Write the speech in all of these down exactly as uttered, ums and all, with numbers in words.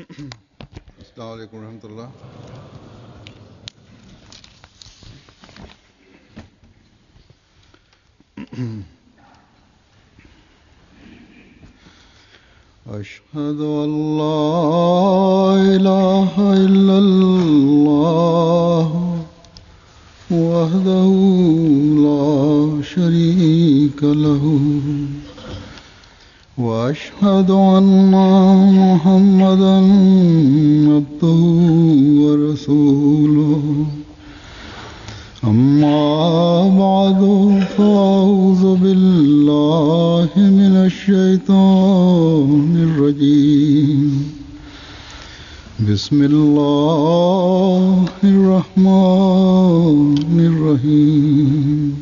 السلام عليڪم ورحمة الله. أشهد أن لا إله إلا الله وحده لا شريك له وأشهد أن محمدا عبده ورسوله. أما بعد فأعوذ بالله من الشيطان الرجيم. بسم الله الرحمن الرحيم.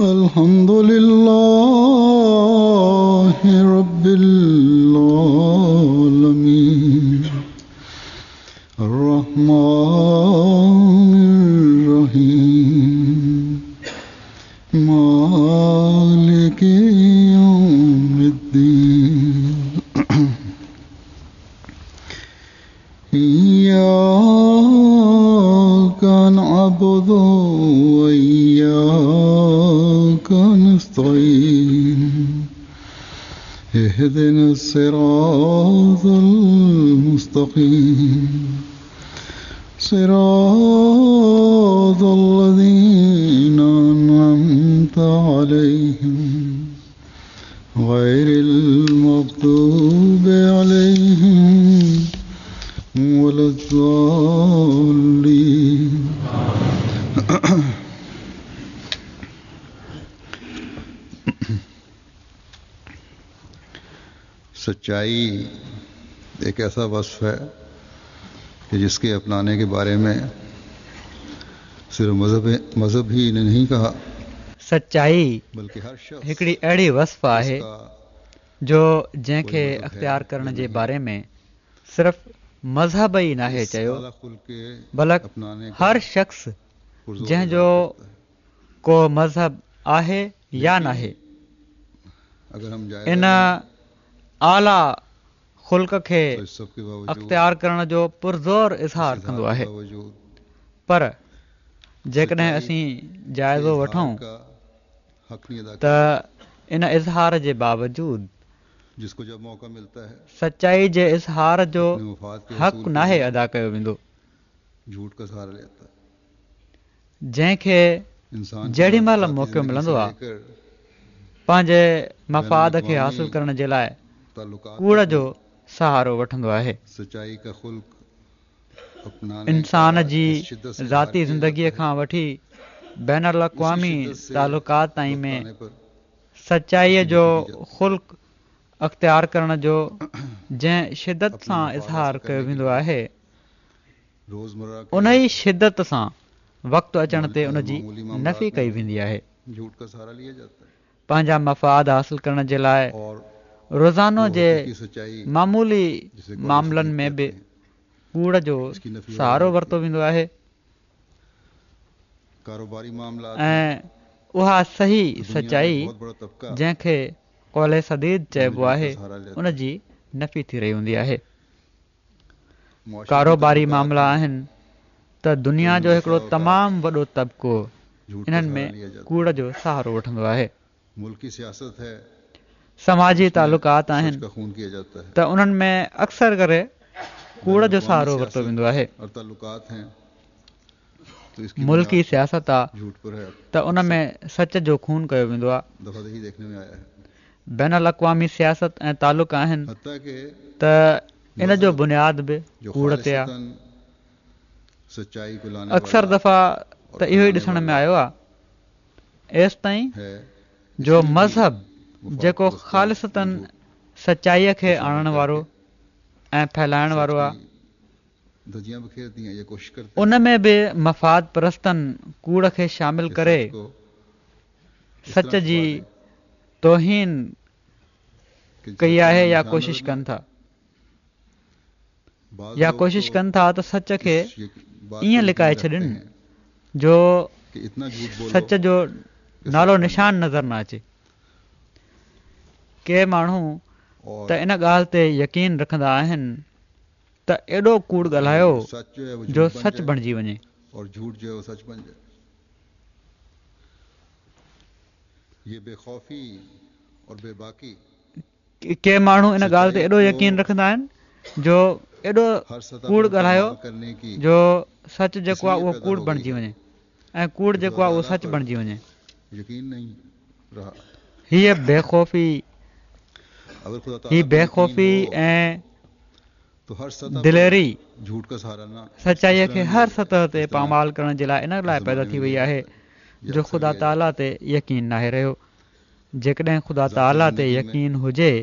الحمد لله رب العالمين الرحمن الرحيم مالك يوم الدين. إياك نعبد وإياك نستعين. اهدنا الصراط المستقيم صراط الذين أنعمت عليهم غير المغضوب عليهم ولا الضالين. सच्चाई एक ऐसा वस्फ है कि जिसके अपनाने के बारे में सिर्फ मजहब मजहब ही ने नहीं कहा, सच्चाई बल्कि हर शख्स हिकिड़ी अहिड़ी वस्फ़ आहे जिसका जो जंहिंखे कोई मजहब है अख़्तियार या करण जे नहीं, बारे में सिर्फ़ मज़हब ई नाहे इस चयो, आला खुल्क के बल्कि अपनाने का हर शख़्स पुरजोर जंहिंजो इजहार करता है। को मज़हब आहे या लेकिन नाहे, अगर हम जायजा इन लें आला ख़ुल्क खे तो इस सब के बावजूद, अख़्तियार करण जो पुरज़ोर इस इज़हार इजहार कंदो के आहे। बावजूद पर जेकॾहिं सच्चाई असीं के जाइज़ो इजहार वठूं का हक नहीं अदा त करते, इन इज़हार जे बावजूद जिसको जब मौका मिलता है सच्चाई जे इज़हार जो अपने मफाद के हक़ हसूल के नाहे लिए अदा कयो वेंदो। झूठ का सहारा लेता है। जंहिंखे इंसान की जेॾी महिल ज़ाती मौक़ो ज़िंदगी मिलंदो से आहे लेकर पंहिंजे बैनुल मफ़ाद खे अक़वामी हासिल करण जे लाइ ताल्लुकात कूड़ तक जो में सहारो वठंदो आहे। सच्चाई का खुल्क अपनाने का इंसान जी जिस शिद्दत से इजहार ज़ाती किया जाता ज़िंदगीअ है, खां वठी बैन उसी अक़वामी शिद्दत से तालुकात ताईं वक्त में आने पर सचाईअ उसकी जो नफी की जाती है। ख़ुल्क अख़्तियार करण जो जंहिं शिदत अपने सां मफाद इज़हार हासिल कयो करने के वेंदो लिए आहे, रोज़मर्रा के उन ई शिदत सां वक़्तु अचण ते उन जी मामूली मामलात नफ़ी में कई वेंदी आहे। झूठ का सहारा लिया जाता है पंहिंजा मफ़ाद हासिल करण जे लाइ और रोज़ानो वो जे हकीकी सच्चाई मामूली जिसे कौल मामलनि सदीद में कहते बि हैं, कूड़ जो इसकी नफी हो रही सहारो होती वरितो है। वेंदो आहे कारोबारी मामलात हैं ऐं उहा सही तो दुनिया का एक सचाई बहुत बड़ा तबका जंहिंखे कौल सदीद इनमें चइबो झूठ का आहे सहारा लेता उन है। जी नफ़ी थी रही हूंदी आहे। मुआशरती कारोबारी ताल्लुकात मामला हैं आहिनि त तो दुनिया इनमें जो हिकिड़ो बसा औकात तमामु वॾो तबिको झूठ का इन्हनि सहारा में लिया जाता कूड़ है। जो सहारो वठंदो आहे। मुल्की सियासत है समाजी उसमें तालुकात सच आहिनि का खून किया जाता है। त उन्हनि में अक्सर करे कूड़ बैनुल जो अक़वामी सहारो वरितो सियासत वेंदो आहे। और ताल्लुकात हैं तो इसकी मुल्की बुनियाद सियासत आहे झूठ पर है। त उन अक्सर में सच जो खून कयो वेंदो आहे। दफ़ा यही देखने में आया है। बैन अक़वामी सियासत ऐं तालुक आहिनि हत्ता के त इन जो मजहब बुनियाद बि जो कूड़ ते आहे। खालिसतन सच्चाई को लाने अक्सर वाला दफ़ा और त इहो ई फैलाने ॾिसण में वाला आयो आहे एसि ताईं है, जो इसमें भी मज़हब मफाद जेको परस्तों ने ख़ालिसतन झूठ सचाईअ को खे शामिल आणण वारो करके ऐं फैलाइण सच वारो आहे, की धज्जियां बिखेरती हैं, ये कोशिश करते उन हैं में बि मफ़ाद परस्तनि कूड़ खे शामिल कि करे सच को इस सच तरह जी छुपा दें तौहीन कि सच कई का आहे नाम या निशान कोशिश नजर न कनि आए। था बाज़ या लोग कोशिश तो कनि था त सच खे इस यक- बात ईअं पर यकीन लिकाए रखते छॾनि हैं जो कि इतना झूठ बोलो सच जो कि सच नालो बन निशान जाए। नज़र न अचे। के माण्हू ته ان ڳالهه تي يقين رکندا آهن ته ايڏو ڪوڙ ڳالهايو جو سچ بڻجي وڃي. ڪي ماڻهو ان ڳالهه تي ايڏو يقين رکندا آهن جو ايڏو ڪوڙ ڳالهايو جو سچ جيڪو آهي اهو ڪوڙ بڻجي وڃي ۽ ڪوڙ جيڪو آهي اهو سچ بڻجي وڃي. هيء بيخوفي هي بيخوفي ۽ دليري سچائيءَ کي هر سطح تي پامال ڪرڻ جي لاءِ ان لاءِ پيدا ٿي وئي آهي جو خدا تعاليٰ تي يقين ناهي رهيو. جيڪڏهن خدا تعاليٰ تي يقين هجي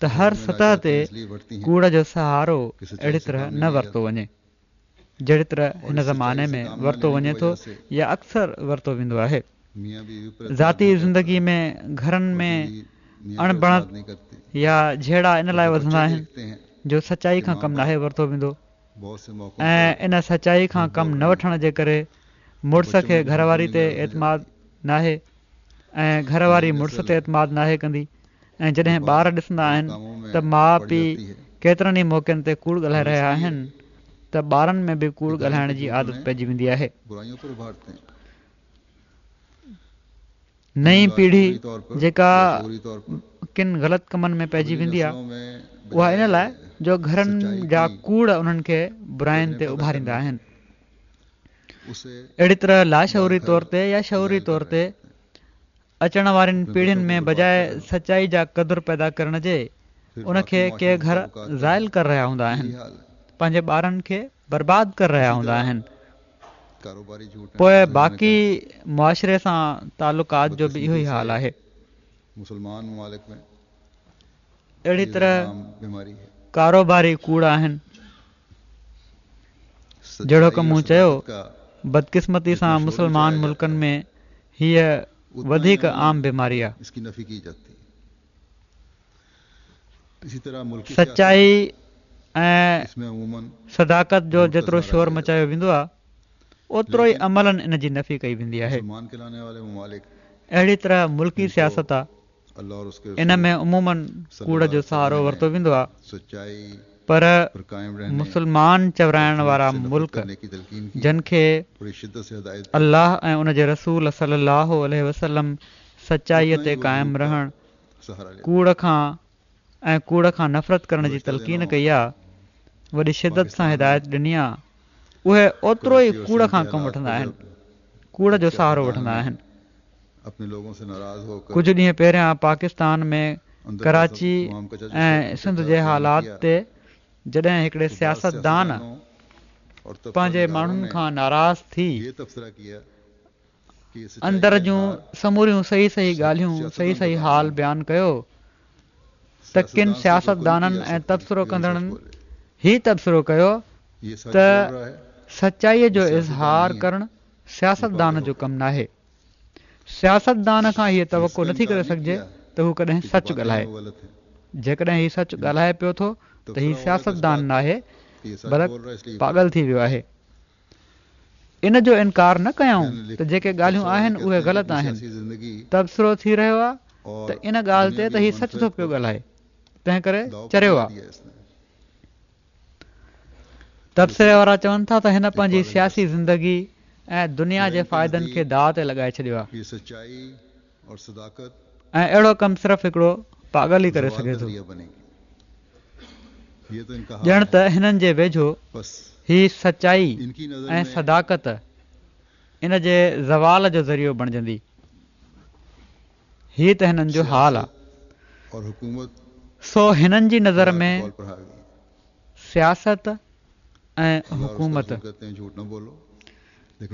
ته هر سطح تي ڪوڙ جو سهارو اهڙي طرح نه ورتو وڃي جهڙي طرح هن زماني ۾ ورتو وڃي ٿو يا اڪثر ورتو ويندو آهي. ذاتي زندگي ۾ گهرن ۾ اڻبڻت يا جهيڙا ان لاءِ وڌندا آهن جو سچائي کان ڪم ناهي ورتو ويندو ۽ ان سچائي کان ڪم نه وٺڻ جي ڪري مڙس کي گهر واري تي اعتماد ناهي ۽ گهر واري مڙس تي اعتماد ناهي ڪندي ۽ جڏهن ٻار ڏسندا آهن ته ماءُ پيءُ ڪيترن ئي موقعن تي ڪوڙ ڳالهائي رهيا آهن ته ٻارن ۾ به ڪوڙ ڳالهائڻ جي عادت پئجي ويندي آهي. نئين پيڙهي جيڪا ڪن غلط ڪمن ۾ پئجي ويندي آهي اها ان لاءِ جو گهرن جا ڪوڙ انهن کي براين تي اڀاريندا آهن. اهڙي طرح لاشعوري طور تي يا شعوري طور تي اچڻ وارين پيڙهين ۾ بجاءِ سچائي جا قدر پيدا ڪرڻ جي ان کي ڪي گهر زائل ڪري رهيا هوندا آهن، پنهنجي ٻارن کي برباد ڪري رهيا هوندا آهن. پوءِ باقي معاشري سان تعلقات جو به اهو ئي حال آهي. اهڙي طرح ڪاروباري ڪوڙ آهن. جهڙوڪ مون چيو، بدقسمتي سان مسلمان ملڪن ۾ هيءَ وڌيڪ عام بيماري آهي. سچائي ۽ صداقت جو جيترو شور مچايو ويندو آهي اوترو ئي عملاً ان جي نفي ڪئي ويندي آهي. اهڙي طرح ملڪي سياست آهي، ان ۾ عموماً ڪوڙ جو سهارو ورتو ويندو آهي، پر مسلمان چورائڻ وارا ملڪ جن کي الله ۽ ان جي رسول صلي الله عليه وسلم سچائيءَ تي قائم رهڻ، ڪوڙ کان ۽ ڪوڙ کان نفرت ڪرڻ جي تلقين ڪئي آهي، وڏي شدت سان هدايت ڏني آهي، اهي اوترو ئي ڪوڙ کان ڪم وٺندا آهن، ڪوڙ جو سهارو وٺندا آهن. ڪجهه ڏينهن پهريان پاڪستان ۾ ڪراچي ۽ سنڌ جي حالات تي جڏهن هڪڙي سياستدان پنهنجي ماڻهن کان ناراض ٿي اندر جون سموريون صحيح صحيح ڳالهيون صحيح صحيح حال بيان ڪيو ته ڪن سياستدانن ۽ تبصرو ڪندڙن هي تبصرو ڪيو ته سچائيءَ جو اظهار ڪرڻ سياستدان جو ڪم ناهي. سياستدان کان هيءَ توقع نٿي ڪري سگهجي ته هو ڪڏهن سچ ڳالهائي. جيڪڏهن هي سچ ڳالهائي پيو ٿو ته هي سياستدان ناهي بلڪ پاڳل ٿي ويو آهي. ان جو انڪار نه ڪيائون ته جيڪي ڳالهيون آهن اهي غلط آهن. تبصرو ٿي رهيو آهي ته ان ڳالهه تي ته هي سچ ٿو پيو ڳالهائي، تنهن ڪري چريو آهي. تبصري وارا چون ٿا ته هن پنهنجي سياسي زندگي ۽ دنيا جي فائدن کي داءُ تي لڳائي ڇڏيو آهي ۽ اهڙو ڪم صرف هڪڙو پاڳل ئي ڪري سگهي ٿو. ڄڻ ته هنن جي ويجهو هي سچائي ۽ صداقت ان جي زوال جو ذريعو بڻجندي. هي ته هنن جو حال آهي. سو هنن جي نظر ۾ سياست ۽ حڪومت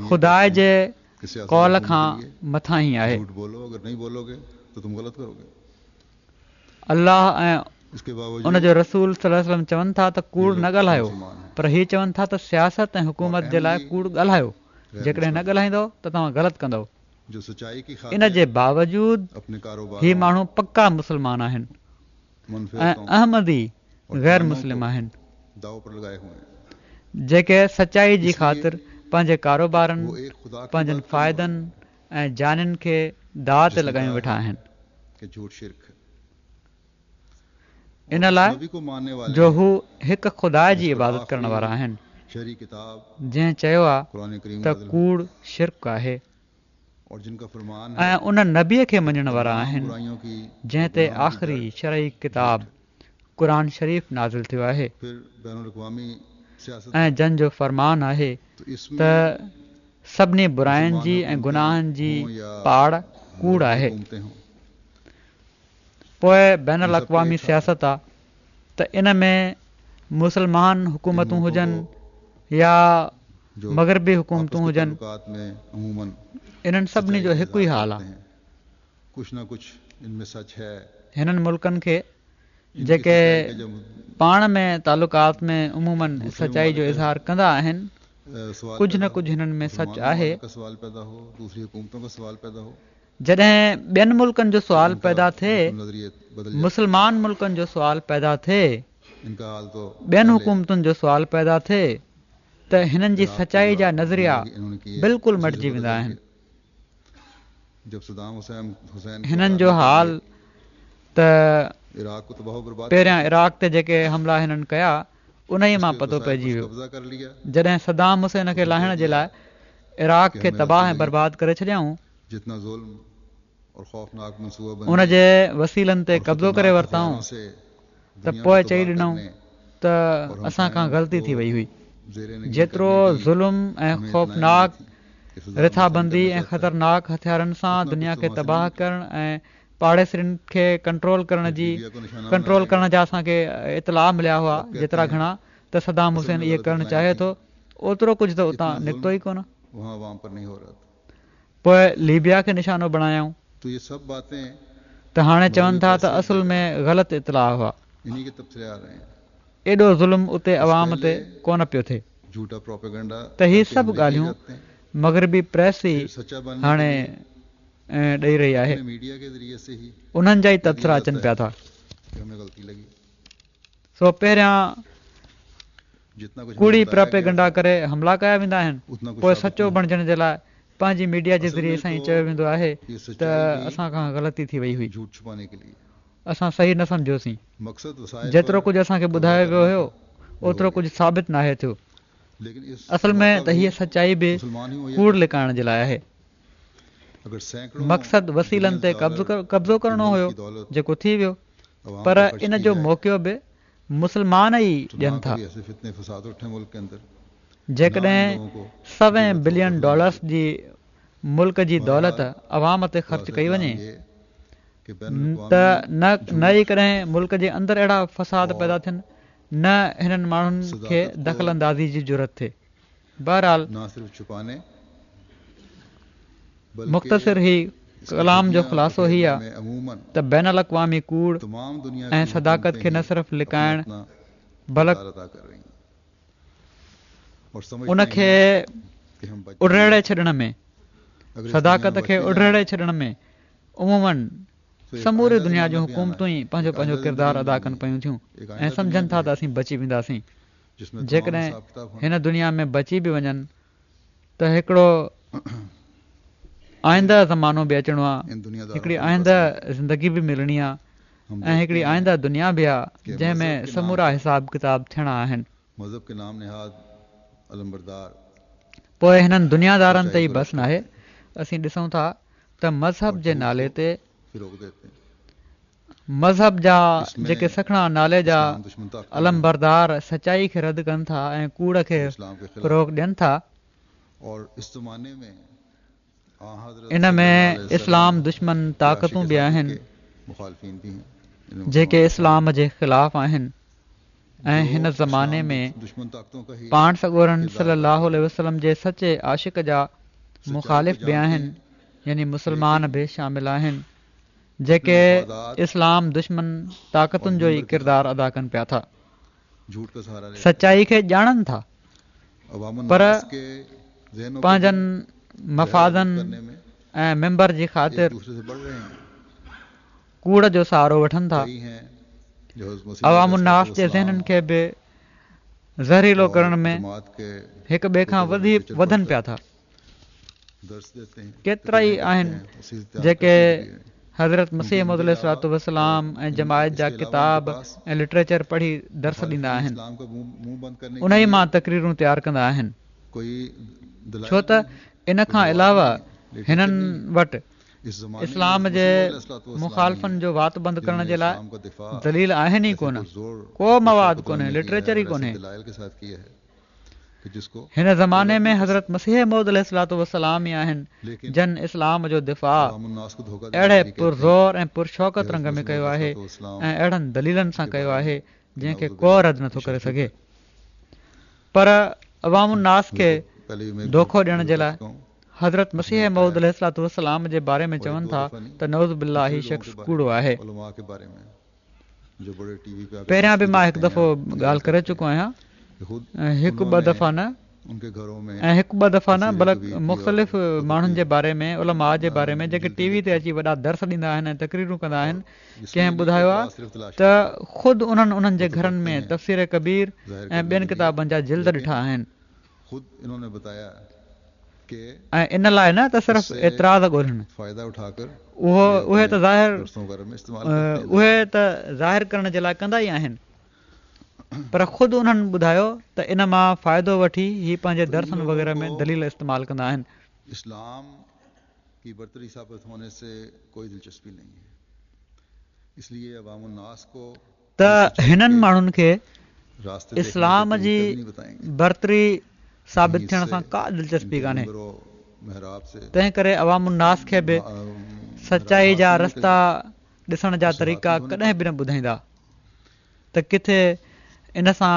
خدا جي قول کان مٿاهين آهي. الله ۽ ان جو رسول صلي الله عليه وسلم چون ٿا ته ڪوڙ نه ڳالهايو، پر هي چون ٿا ته سياست ۽ حڪومت جي لاءِ ڪوڙ ڳالهايو، جيڪڏهن نه ڳالهائيندؤ ته توهان غلط ڪندؤ. ان جي باوجود هي ماڻهو پڪا مسلمان آهن ۽ احمدي غير مسلم آهن جيڪي سچائي جي خاطر پنهنجي ڪاروبارن، پنهنجن فائدن ۽ جانين کي داءُ تي لڳايون ويٺا آهن. ان لاءِ جو هو هڪ خدا جي عبادت ڪرڻ وارا آهن، جنهن چيو آهي ته ڪوڙ شرڪ آهي، ۽ ان نبيءَ کي مڃڻ وارا آهن جنهن تي آخري شرعي ڪتاب قرآن شريف نازل ٿيو آهي، ۽ جن جو فرمان آهي ته سڀني براين جي ۽ گناهن جي پاڙ ڪوڙ آهي. پوءِ بين الاقوامي سياست آ ته ان ۾ مسلمان حڪومتون هجن يا مغربي حڪومتون هجن، انهن سڀني جو هڪ ئي حال آ. هنن ملڪن کي جيڪي پاڻ ۾ تعلقات ۾ عموماً سچائي جو اظهار ڪندا آهن، ڪجهه نه ڪجهه هنن ۾ سچ آهي. جڏهن ٻين ملڪن جو سوال پيدا ٿئي، مسلمان ملڪن جو سوال پيدا ٿئي، ٻين حڪومتن جو سوال پيدا ٿئي ته هنن جي سچائي جا نظريا بلڪل مٽجي ويندا آهن. هنن جو حال ته پهريان عراق تي جيڪي حملا هنن ڪيا انهيءَ مان پتو پئجي ويو. جڏهن صدام حسين کي لاهڻ جي لاءِ عراق کي تباهه ۽ برباد ڪري ڇڏيائون، ان جي وسيلن تي قبضو ڪري ورتائون ته پوءِ چئي ڏنائون ته اسان کان غلطي ٿي وئي هئي. جيترو ظلم ۽ خوفناڪ رٿابندي ۽ خطرناڪ هٿيارن سان دنيا کي تباهه ڪرڻ ۽ پاڙيسرين کي ڪنٽرول ڪرڻ جي ڪنٽرول ڪرڻ جا اسان کي اطلاع مليا هئا جيترا گهڻا ته صدام حسين اهي ڪرڻ چاهي ٿو، اوترو ڪجهه ته اتان نڪتو ئي ڪونه. پوءِ ليبيا کي نشانو بڻايائون ته هاڻي چون ٿا ته اصل ۾ غلط اطلاع هئا، ايڏو ظلم اتي عوام تي ڪونه پيو ٿئي. ته هي سڀ ڳالهيون مغربي پريس ئي هاڻي ڏئي رهي آهي، انهن جا ئي تبصرا اچن پيا ٿا. سو پهريان ڪوڙي پروپيگنڊا ڪري حملا ڪيا ويندا آهن، پوءِ سچو بڻجڻ جي لاءِ پنهنجي ميڊيا جي ذريعي سان ئي چيو ويندو آهي ته اسان کان غلطي ٿي وئي هئي، اسان صحيح نه سمجهيوسين، جيترو ڪجهه اسان کي ٻڌايو ويو هيو اوترو ڪجهه ثابت ناهي ٿيو. اصل ۾ ته هيءَ سچائي به ڪوڙ لڪائڻ جي لاءِ آهي. مقصد وسيلن تي قبضو ڪرڻو هيو جيڪو ٿي ويو، پر ان جو موقعو به مسلمان ئي ڏين ٿا. جيڪڏهن سوين بلين ڊالرز جي ملڪ جي دولت عوام تي خرچ ڪئي وڃي ته نه نه ئي ڪڏهن ملڪ جي اندر اهڙا فساد پيدا ٿين، نه هنن ماڻهن کي دخل اندازي جي جرئت ٿئي. بهرحال مختصر هي ڪلام جو خلاصو هي آهي ته بين الاقوامي ڪوڙ ۽ صداقت کي نه صرف لڪائڻ بلڪ ان کي اڊيڙي ڇڏڻ ۾ صداقت کي اڊيڙي ڇڏڻ ۾ عموماً سموري دنيا جون حڪومتون ئي پنهنجو پنهنجو ڪردار ادا ڪن پيون ٿيون ۽ سمجهن ٿا ته اسين بچي وينداسين. جيڪڏهن هن دنيا ۾ بچي به وڃن ته هڪڙو آئنده زمانو به اچڻو آهي، هڪڙي آئنده زندگي به ملڻي آهي ۽ هڪڙي آئنده دنيا به آهي جنهن ۾ سمورا حساب ڪتاب ٿيڻا آهن. پوءِ هنن دنيادارن تي ئي بس ناهي. اسين ڏسون ٿا ته مذهب جي نالي تي مذهب جا جيڪي سکڻا نالي جا علمبردار سچائي کي رد ڪن ٿا ۽ ڪوڙ کي فروغ ڏين ٿا، ان ۾ اسلام دشمن طاقتون به آهن جيڪي اسلام جي خلاف آهن ۽ هن زماني ۾ پاڻ سڳورن صلي الله عليه وسلم جي سچي عاشق جا مخالف به آهن، يعني مسلمان به شامل آهن جيڪي اسلام دشمن طاقتن جو ئي ڪردار ادا ڪن پيا ٿا. سچائي کي ڄاڻن ٿا پر پنهنجن مفادن ۽ ميمبر جي خاطر ڪوڙ جو سهارو وٺن ٿا. عوام الناس جي ذهنن کي به زهريلو ڪرڻ ۾ هڪ ٻئي کان وڌي وڌن پيا ٿا. ڪيترا ئي آهن جيڪي حضرت مسيح موعود عليه الصلوة والسلام ۽ جماعت جا ڪتاب ۽ لٽريچر پڙهي درس ڏيندا آهن، انهي مان تقريرون تيار ڪندا آهن، ڇو ته ان کان علاوه هنن وٽ اسلام جي مخالفن جو وات بند ڪرڻ جي لاء دليل آهن ئي ڪونه، ڪو مواد ڪونهي، لٽريچر ئي ڪونهي. هن زماني ۾ حضرت مسيح موعود عليه الصلوة والسلام ئي آهن جن اسلام جو دفاع اهڙي پرزور ۽ پرشوڪت رنگ ۾ ڪيو آهي ۽ اهڙن دليلن سان ڪيو آهي جنهن کي ڪو رد نٿو ڪري سگهي، پر عوام الناس کي دوکو ڏيڻ جي لاء حضرت مسيح موعود عليه الصلوة والسلام جي باري ۾ چون ٿا ته نعوذ بالله هي شخص ڪوڙو آهي. پهريان به مان هڪ دفعو ڳالهه ڪري چڪو آهيان، هڪ ٻه دفعا نه ۽ هڪ ٻه دفعا نه بلڪ مختلف ماڻهن جي باري ۾ علماء جي باري ۾ جيڪي ٽي وي تي اچي وڏا درس ڏيندا آهن ۽ تقريرون ڪندا آهن، ڪنهن ٻڌايو آهي ته خود انهن انهن جي گهرن ۾ تفسير ڪبير ۽ ٻين ڪتابن جا جلد ڏٺا آهن. ۽ ان لاء نه ته صرف اعتراض ڳولهن، اهو اهي ته ظاهر اهي ته ظاهر ڪرڻ جي لاء ڪندا ئي آهن، پر خود انهن ٻڌايو ته ان مان فائدو وٺي هي پنهنجي درسن وغيره ۾ دليل استعمال ڪندا آهن. اسلام ڪي برتري ثابت هوني سي ڪوئي دلچسپي نهين هي اس ليي عوام الناس ڪو ته هنن ماڻهن کي اسلام جي برتري ثابت ٿيڻ سان ڪا دلچسپي ڪانهي، تنهن ڪري عوام الناس کي به سچائي جا رستا ڏسڻ جا طريقا ڪڏهن به نه ٻڌائيندا ته ڪٿي ان سان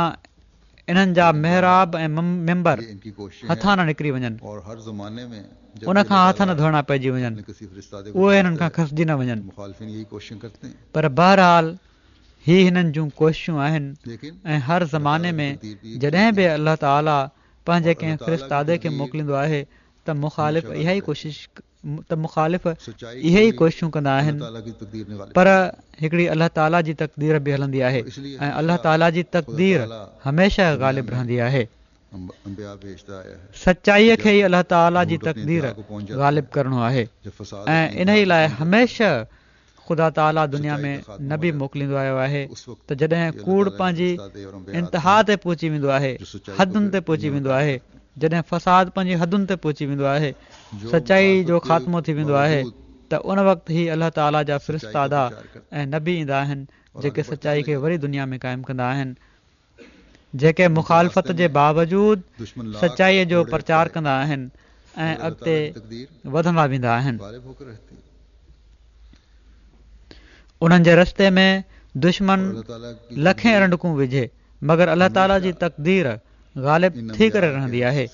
انهن جا محراب ۽ منبر هٿان نه نڪري وڃن، ان کان هٿ نه ڌوئڻا پئجي وڃن، اهي هنن کان کسجي نه وڃن. پر بهرحال هي هنن جون ڪوششون آهن ۽ هر زماني ۾ جڏهن به الله تعاليٰ پنهنجي ڪنهن فرستادي کي موڪليندو آهي ته مخالف اها ئي ڪوشش ته مخالف اهي ئي ڪوششون ڪندا آهن، پر هڪڙي الله تعاليٰ جي تقدير به هلندي آهي ۽ الله تعاليٰ جي تقدير هميشه غالب رهندي آهي. سچائيء کي ئي الله تعاليٰ جي تقدير غالب ڪرڻو آهي ۽ انهي لاء هميشه خدا تعاليٰ دنيا ۾ نبي موڪليندو آيو آهي ته جڏهن ڪوڙ پنهنجي انتها تي پهچي ويندو آهي، حدن تي پهچي ويندو آهي، جڏهن فساد پنهنجي حدن تي پهچي ويندو آهي، سچائي جو خاتمو ٿي ويندو آهي ته ان وقت هي الله تعاليٰ جا فرستادا ۽ نبي ايندا آهن جيڪي سچائي کي وري دنيا ۾ قائم ڪندا آهن، جيڪي مخالفت جي باوجود سچائي جو پرچار ڪندا آهن ۽ اڳتي وڌندا ويندا آهن. انهن جي رستي ۾ دشمن لکين رنڊڪون وجهي، مگر الله تعاليٰ جي تقدير غالب ٿي ڪري رهندي آهي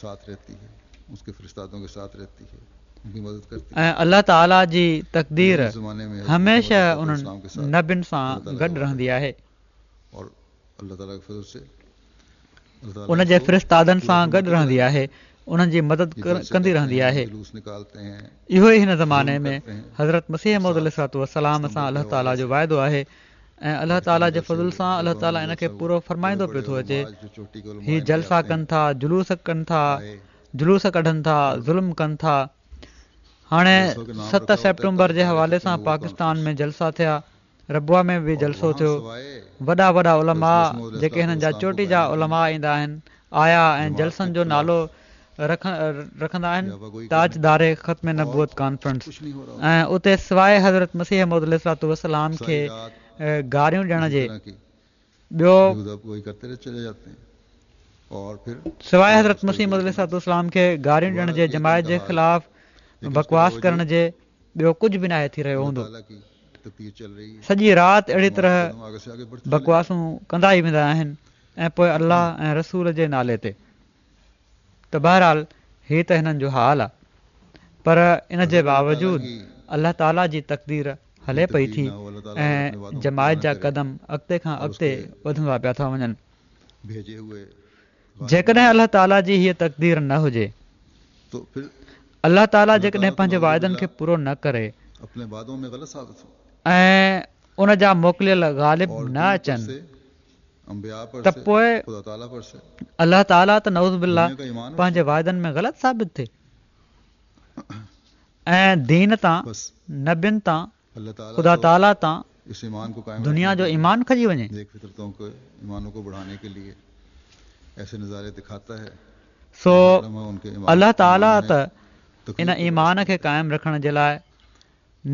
۽ الله تعاليٰ جي تقدير هميشه انهن نبين سان گڏ رهندي آهي، ان جي فرستادن سان گڏ رهندي آهي، انهن جي مدد ڪندي رهندي آهي. اهو ئي هن زماني ۾ حضرت مسيح موعود عليه الصلوة والسلام سان الله تعاليٰ جو وعدو آهي ۽ الله تعاليٰ جي فضل سان الله تعاليٰ ان کي پورو فرمائيندو پيو ٿو اچي. هي جلسا ڪن ٿا، جلوس ڪن ٿا، جلوس ڪڍن ٿا، ظلم ڪن ٿا. هاڻي ست سيپٽمبر جي حوالي سان پاڪستان ۾ جلسا ٿيا، ربوه ۾ به جلسو ٿيو، وڏا وڏا علماء جيڪي هنن جا چوٽي جا علماء ايندا آهن، آيا ۽ جلسن جو نالو رکندا آهن تاجدار ختم نبوت ڪانفرنس ۽ اتي سواء حضرت مسيح موعود عليه الصلوة والسلام کي گاريون ڏيڻ جي ٻيو سواء حضرت مسيح موعود عليه الصلوة والسلام کي گاريون ڏيڻ جي جماعت جي خلاف بڪواس ڪرڻ جي ٻيو ڪجهه به ناهي ٿي رهيو هوندو. سڄي رات اهڙي طرح بڪواسون ڪندا ئي ويندا آهن ۽ پوء الله ۽ رسول جي نالي تي. ته بهرحال هي ته هنن جو حال آ پر ان جي باوجود الله تعاليٰ جي تقدير هلي پئي ٿي ۽ جماعت جا قدم اڳتي کان اڳتي وڌندا پيا ٿا وڃن. جيڪڏهن الله تعاليٰ جي هيء تقدير نه هجي، الله تعاليٰ جيڪڏهن پنهنجي واعدن کي پورو نه ڪري ۽ ان جا موڪليل غالب نه اچن ته پوء الله تعاليٰ ته نعوذ بالله پنهنجي واعدن ۾ غلط ثابت ٿئي ۽ دين تان، نبين تان خدا تعاليٰ تان دنيا جو ايمان کڄي وڃي. سو الله تعاليٰ ته ان ايمان کي قائم رکڻ جي لاءِ،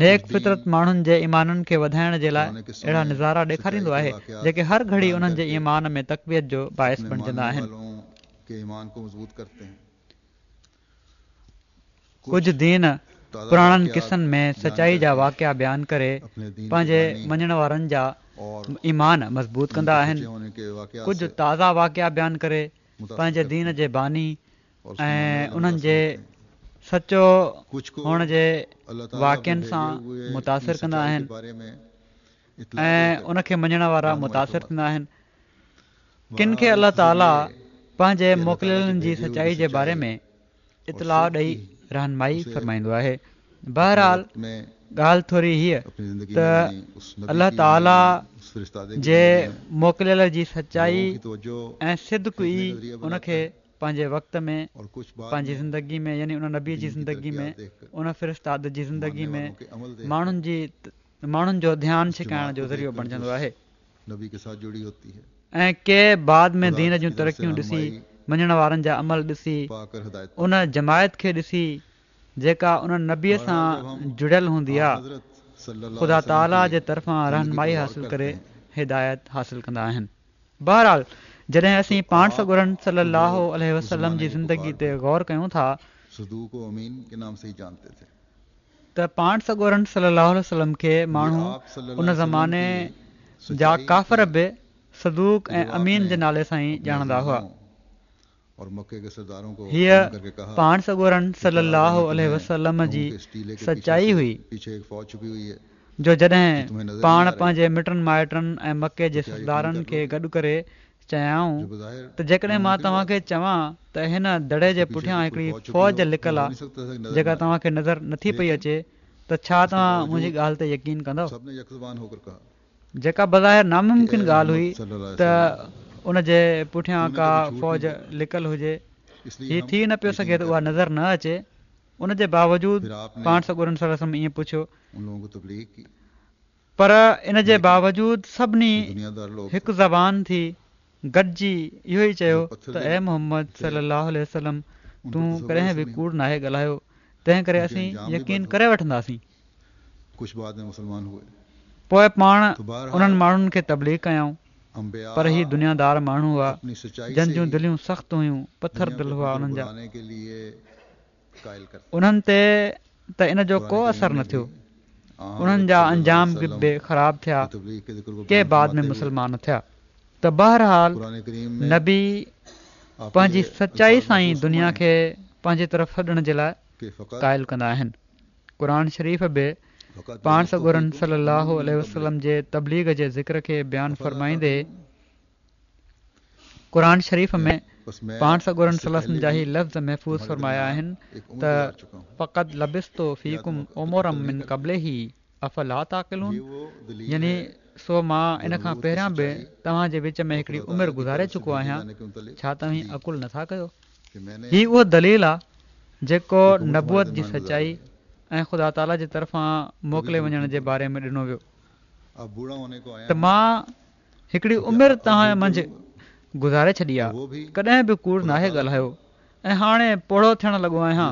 نيڪ فطرت ماڻهن جي ايمانن کي وڌائڻ جي لاءِ اهڙا نظارا ڏيکاريندو آهي جيڪي هر گهڙي انهن جي ايمان ۾ تقويت جو باعث بڻجندا آهن. ڪجهه دين پراڻن قصن ۾ سچائي جا واقعا بيان ڪري پنهنجي مڃڻ وارن جا ايمان مضبوط ڪندا آهن. ڪجهه تازا واقعا بيان ڪري پنهنجي دين جي باني ۽ انهن جي سچو هئڻ جي واقعن سان متاثر ڪندا آهن ۽ ان کي مڃڻ وارا متاثر ٿيندا آهن. ڪن کي الله تعاليٰ پنهنجي موڪليلن جي سچائي جي باري ۾ اطلاع ڏئي رهنمائي فرمائيندو آهي. بهرحال ڳالهه ٿوري هيءَ ته الله تعاليٰ جي موڪليل جي سچائي ۽ صدق ئي ان کي پنهنجي وقت ۾ پنهنجي زندگي ۾ يعني ان نبي جي زندگي ۾ ان فرستاد جي زندگي ۾ ماڻهن جي ماڻهن جو ڌيان ڇڪائڻ جو ذريعو بڻجندو آهي. ۽ ڪي بعد ۾ دين جون ترقيون ڏسي، مڃڻ وارن جا عمل ڏسي، ان جماعت کي ڏسي جيڪا ان نبيءَ سان جڙيل هوندي آهي، خدا تعاليٰ جي طرفان رهنمائي حاصل ڪري هدايت حاصل ڪندا آهن. بهرحال جڏهن اسين پاڻ سڳورن صلي الله عليه وسلم جي زندگي تي غور ڪيون ٿا ته پاڻ سڳورن صلي الله عليه وسلم کي ماڻهو ان زماني جا ڪافر به صدوق ۽ امين جي نالي سان ئي ڄاڻندا هئا. هيءَ پاڻ سڳورن صلي الله عليه وسلم جي سچائي هئي جو جڏهن پاڻ پنهنجي مٽن مائٽن ۽ مڪي جي سردارن کي گڏ ڪري چيائون ته جيڪڏهن مان توهان کي چوان ته هن دڙي جي پٺيان هڪڙي فوج لڪل آهي جيڪا توهان کي نظر نٿي پئي اچي ته ڇا توهان منهنجي ڳالهه تي يقين ڪندؤ؟ جيڪا بظاهر ناممڪن ڳالهه هئي ته ان جي پٺيان ڪا فوج لڪل هجي، هي ٿي نه پيو سگهي ته اها نظر نه اچي. ان جي باوجود پاڻ سڳورن صلي الله عليه وسلم ائين پڇيو، پر ان جي باوجود سڀني هڪ زبان ٿي گڏجي اهو ئي چيو ته اي محمد صلي الله عليه وسلم، تون ڪڏهن به ڪوڙ ناهي ڳالهايو، تنهن ڪري اسين يقين ڪري وٺنداسين. پوءِ پاڻ انهن ماڻهن کي تبليغ ڪيائون، پر هي دنيادار ماڻهو هئا جن جون دليون سخت هيون، پٿر دل هئا انهن جا. انهن تي ته ان جو ڪو اثر نه ٿيو، انهن جا انجام به خراب ٿيا، ڪي بعد ۾ مسلمان ٿيا. ته بهرحال نبي پنهنجي سچائي سان ئي دنيا کي پنهنجي طرف سڏڻ جي لاءِ قائل ڪندا آهن. قرآن شريف به پاڻ سڳورن صلي الله عليه وسلم جي تبليغ جي ذڪر کي بيان فرمائيندي قرآن شريف ۾ پاڻ سڳورن صلي الله عليه وسلم جا هي لفظ محفوظ فرمايا آهن ته فقد لبثت فيڪم عمرا من قبله افلا تعقلون، يعني سو مان ان کان پهريان به توهان جي وچ ۾ هڪڙي عمر گذاري چڪو آهيان، ڇا توهين عقل نٿا ڪيو؟ هي اهو دليل آهي جيڪو نبوت جي سچائي ۽ خدا تعاليٰ جي طرفان موڪلي وڃڻ جي باري ۾ ڏنو ويو ته مان هڪڙي عمر توهان منجهه گذاري ڇڏي آهي، ڪڏهن به ڪوڙ ناهي ڳالهايو ۽ هاڻي پوڙهو ٿيڻ لڳو آهيان،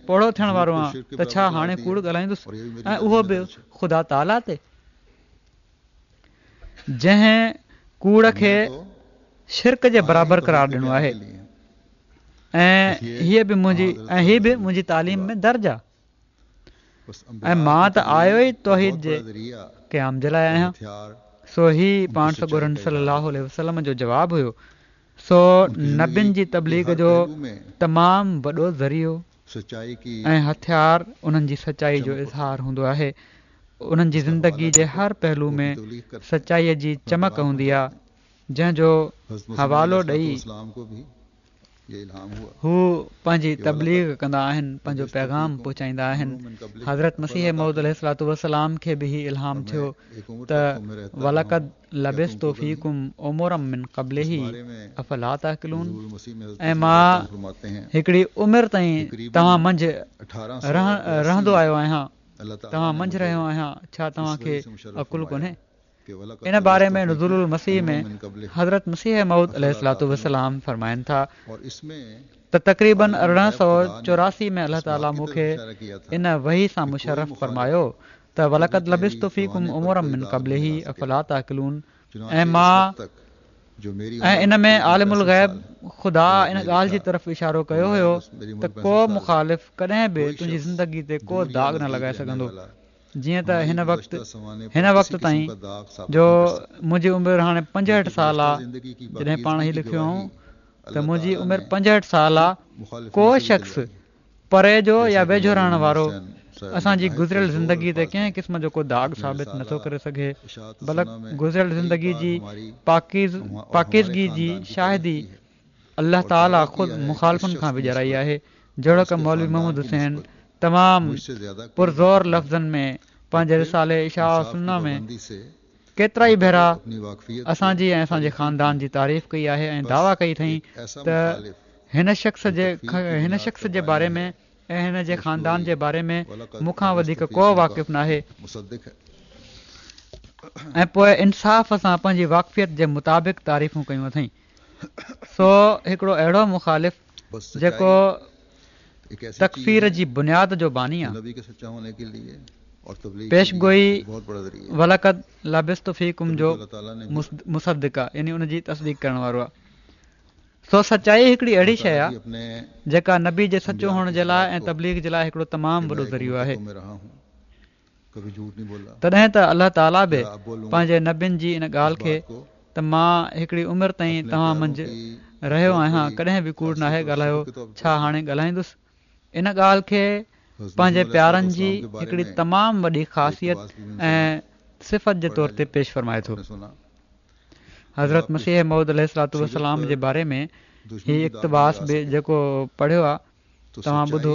پوڙهو ٿيڻ وارو آهيان ته ڇا هاڻي ڪوڙ ڳالهائيندس؟ ۽ اهو به خدا تعاليٰ تي، جنهن ڪوڙ کي شرڪ جي برابر قرار ڏنو آهي. ۽ هيءَ به منهنجي ۽ هيءَ به منهنجي تعليم ۾ درج آهي ۽ مان ته آيو ئي توحيد جي قيام جي لاءِ آهيان. سو هي پاڻ سڳورن صلي الله عليه وسلم جو جواب هيو. سو نبين جي تبليغ جو تمام وڏو ذريعو ۽ هٿيار انهن جي سچائي جو اظهار هوندو آهي. انهن جي زندگي جي هر پهلو ۾ سچائيءَ جي چمڪ هوندي آهي، جنهن جو حوالو ڏئي هو پنهنجي تبليغ ڪندا آهن، پنهنجو پيغام پهچائيندا آهن. حضرت مسيح موعود عليه الصلوة والسلام کي به هي الهام ٿيو ته ولقد لبثت فيڪم عمرا من قبله افلا تعقلون، ۽ مان هڪڙي عمر تائين توهان منجهه رهندو آيو آهيان، توهان منجهه رهيو آهيان، ڇا توهان کي عقل ڪونهي؟ ان باري ۾ نزول المسيح ۾ حضرت مسيح موعود عليه الصلوة والسلام فرمائن ٿا ته تقريباً ارڙهن سؤ چوراسي ۾ الله تعاليٰ مون کي ان وحي سان مشرف فرمايو ته ولقد لبثت فيڪم عمرا من قبله افلا تعقلون ۽ مان ۽ ان ۾ عالم الغيب خدا ان ڳالهه جي طرف اشارو ڪيو هيو ته ڪو مخالف ڪڏهن به تنهنجي زندگي تي ڪو داغ نه لڳائي سگهندو. جيئن ته هن وقت هن وقت تائين جو منهنجي عمر هاڻي پنجهٺ سال آ، جڏهن پاڻ هي لکيو هئائون ته منهنجي عمر پنجهٺ سال آ، ڪو شخص پري جو يا ويجهو رهڻ وارو اسان جي گذريل زندگي تي ڪنهن قسم جو ڪو داغ ثابت نٿو ڪري سگهي، بلڪ گذريل زندگي جي پاڪيزگي جي شاهدي الله تعاليٰ خود مخالفن کان وڄرائي آهي. جهڙوڪ مولوي محمد حسين تمام پرزور لفظن ۾ پنهنجي رسالي اشاعة السنة ۾ ڪيترائي ڀيرا اسان جي ۽ اسان جي خاندان جي تعريف ڪئي آهي ۽ دعويٰ ڪئي اٿئين ته هن شخص جي هن شخص جي باري ۾ ۽ هن جي خاندان جي باري ۾ مون کان وڌيڪ ڪو واقف ناهي ۽ پوء انصاف سان پنهنجي واقفيت جي مطابق تعريفون ڪيون اٿئين. سو هڪڙو اهڙو مخالف جيڪو تڪفير جي بنياد جو باني آ، پيشگوئي ولقد لبثت فيڪم جو مصدق آ، يعني ان جي تصديق ڪرڻ وارو آ. سو سچائي هڪڙي اهڙي شيء آ جيڪا نبي جي سچو هئڻ جي لاء ۽ تبليغ جي لاء هڪڙو تمام وڏو ذريعو آهي. تڏهن ته الله تعاليٰ به پنهنجي نبين جي ان ڳالهه کي ته مان هڪڙي عمر تائين توهان منجهه رهيو آهيان ڪڏهن به ڪوڙ ناهي ڳالهايو، ڇا هاڻي ڳالهائيندس؟ ان ڳالهه کي پنهنجي پيارن جي هڪڙي تمام وڏي خاصيت ۽ صفت جي طور تي پيش فرمائي ٿو. حضرت مسيح موعود عليه الصلوة والسلام جي باري ۾ هي اقتباس به جيڪو پڙهيو آ توهان ٻڌو.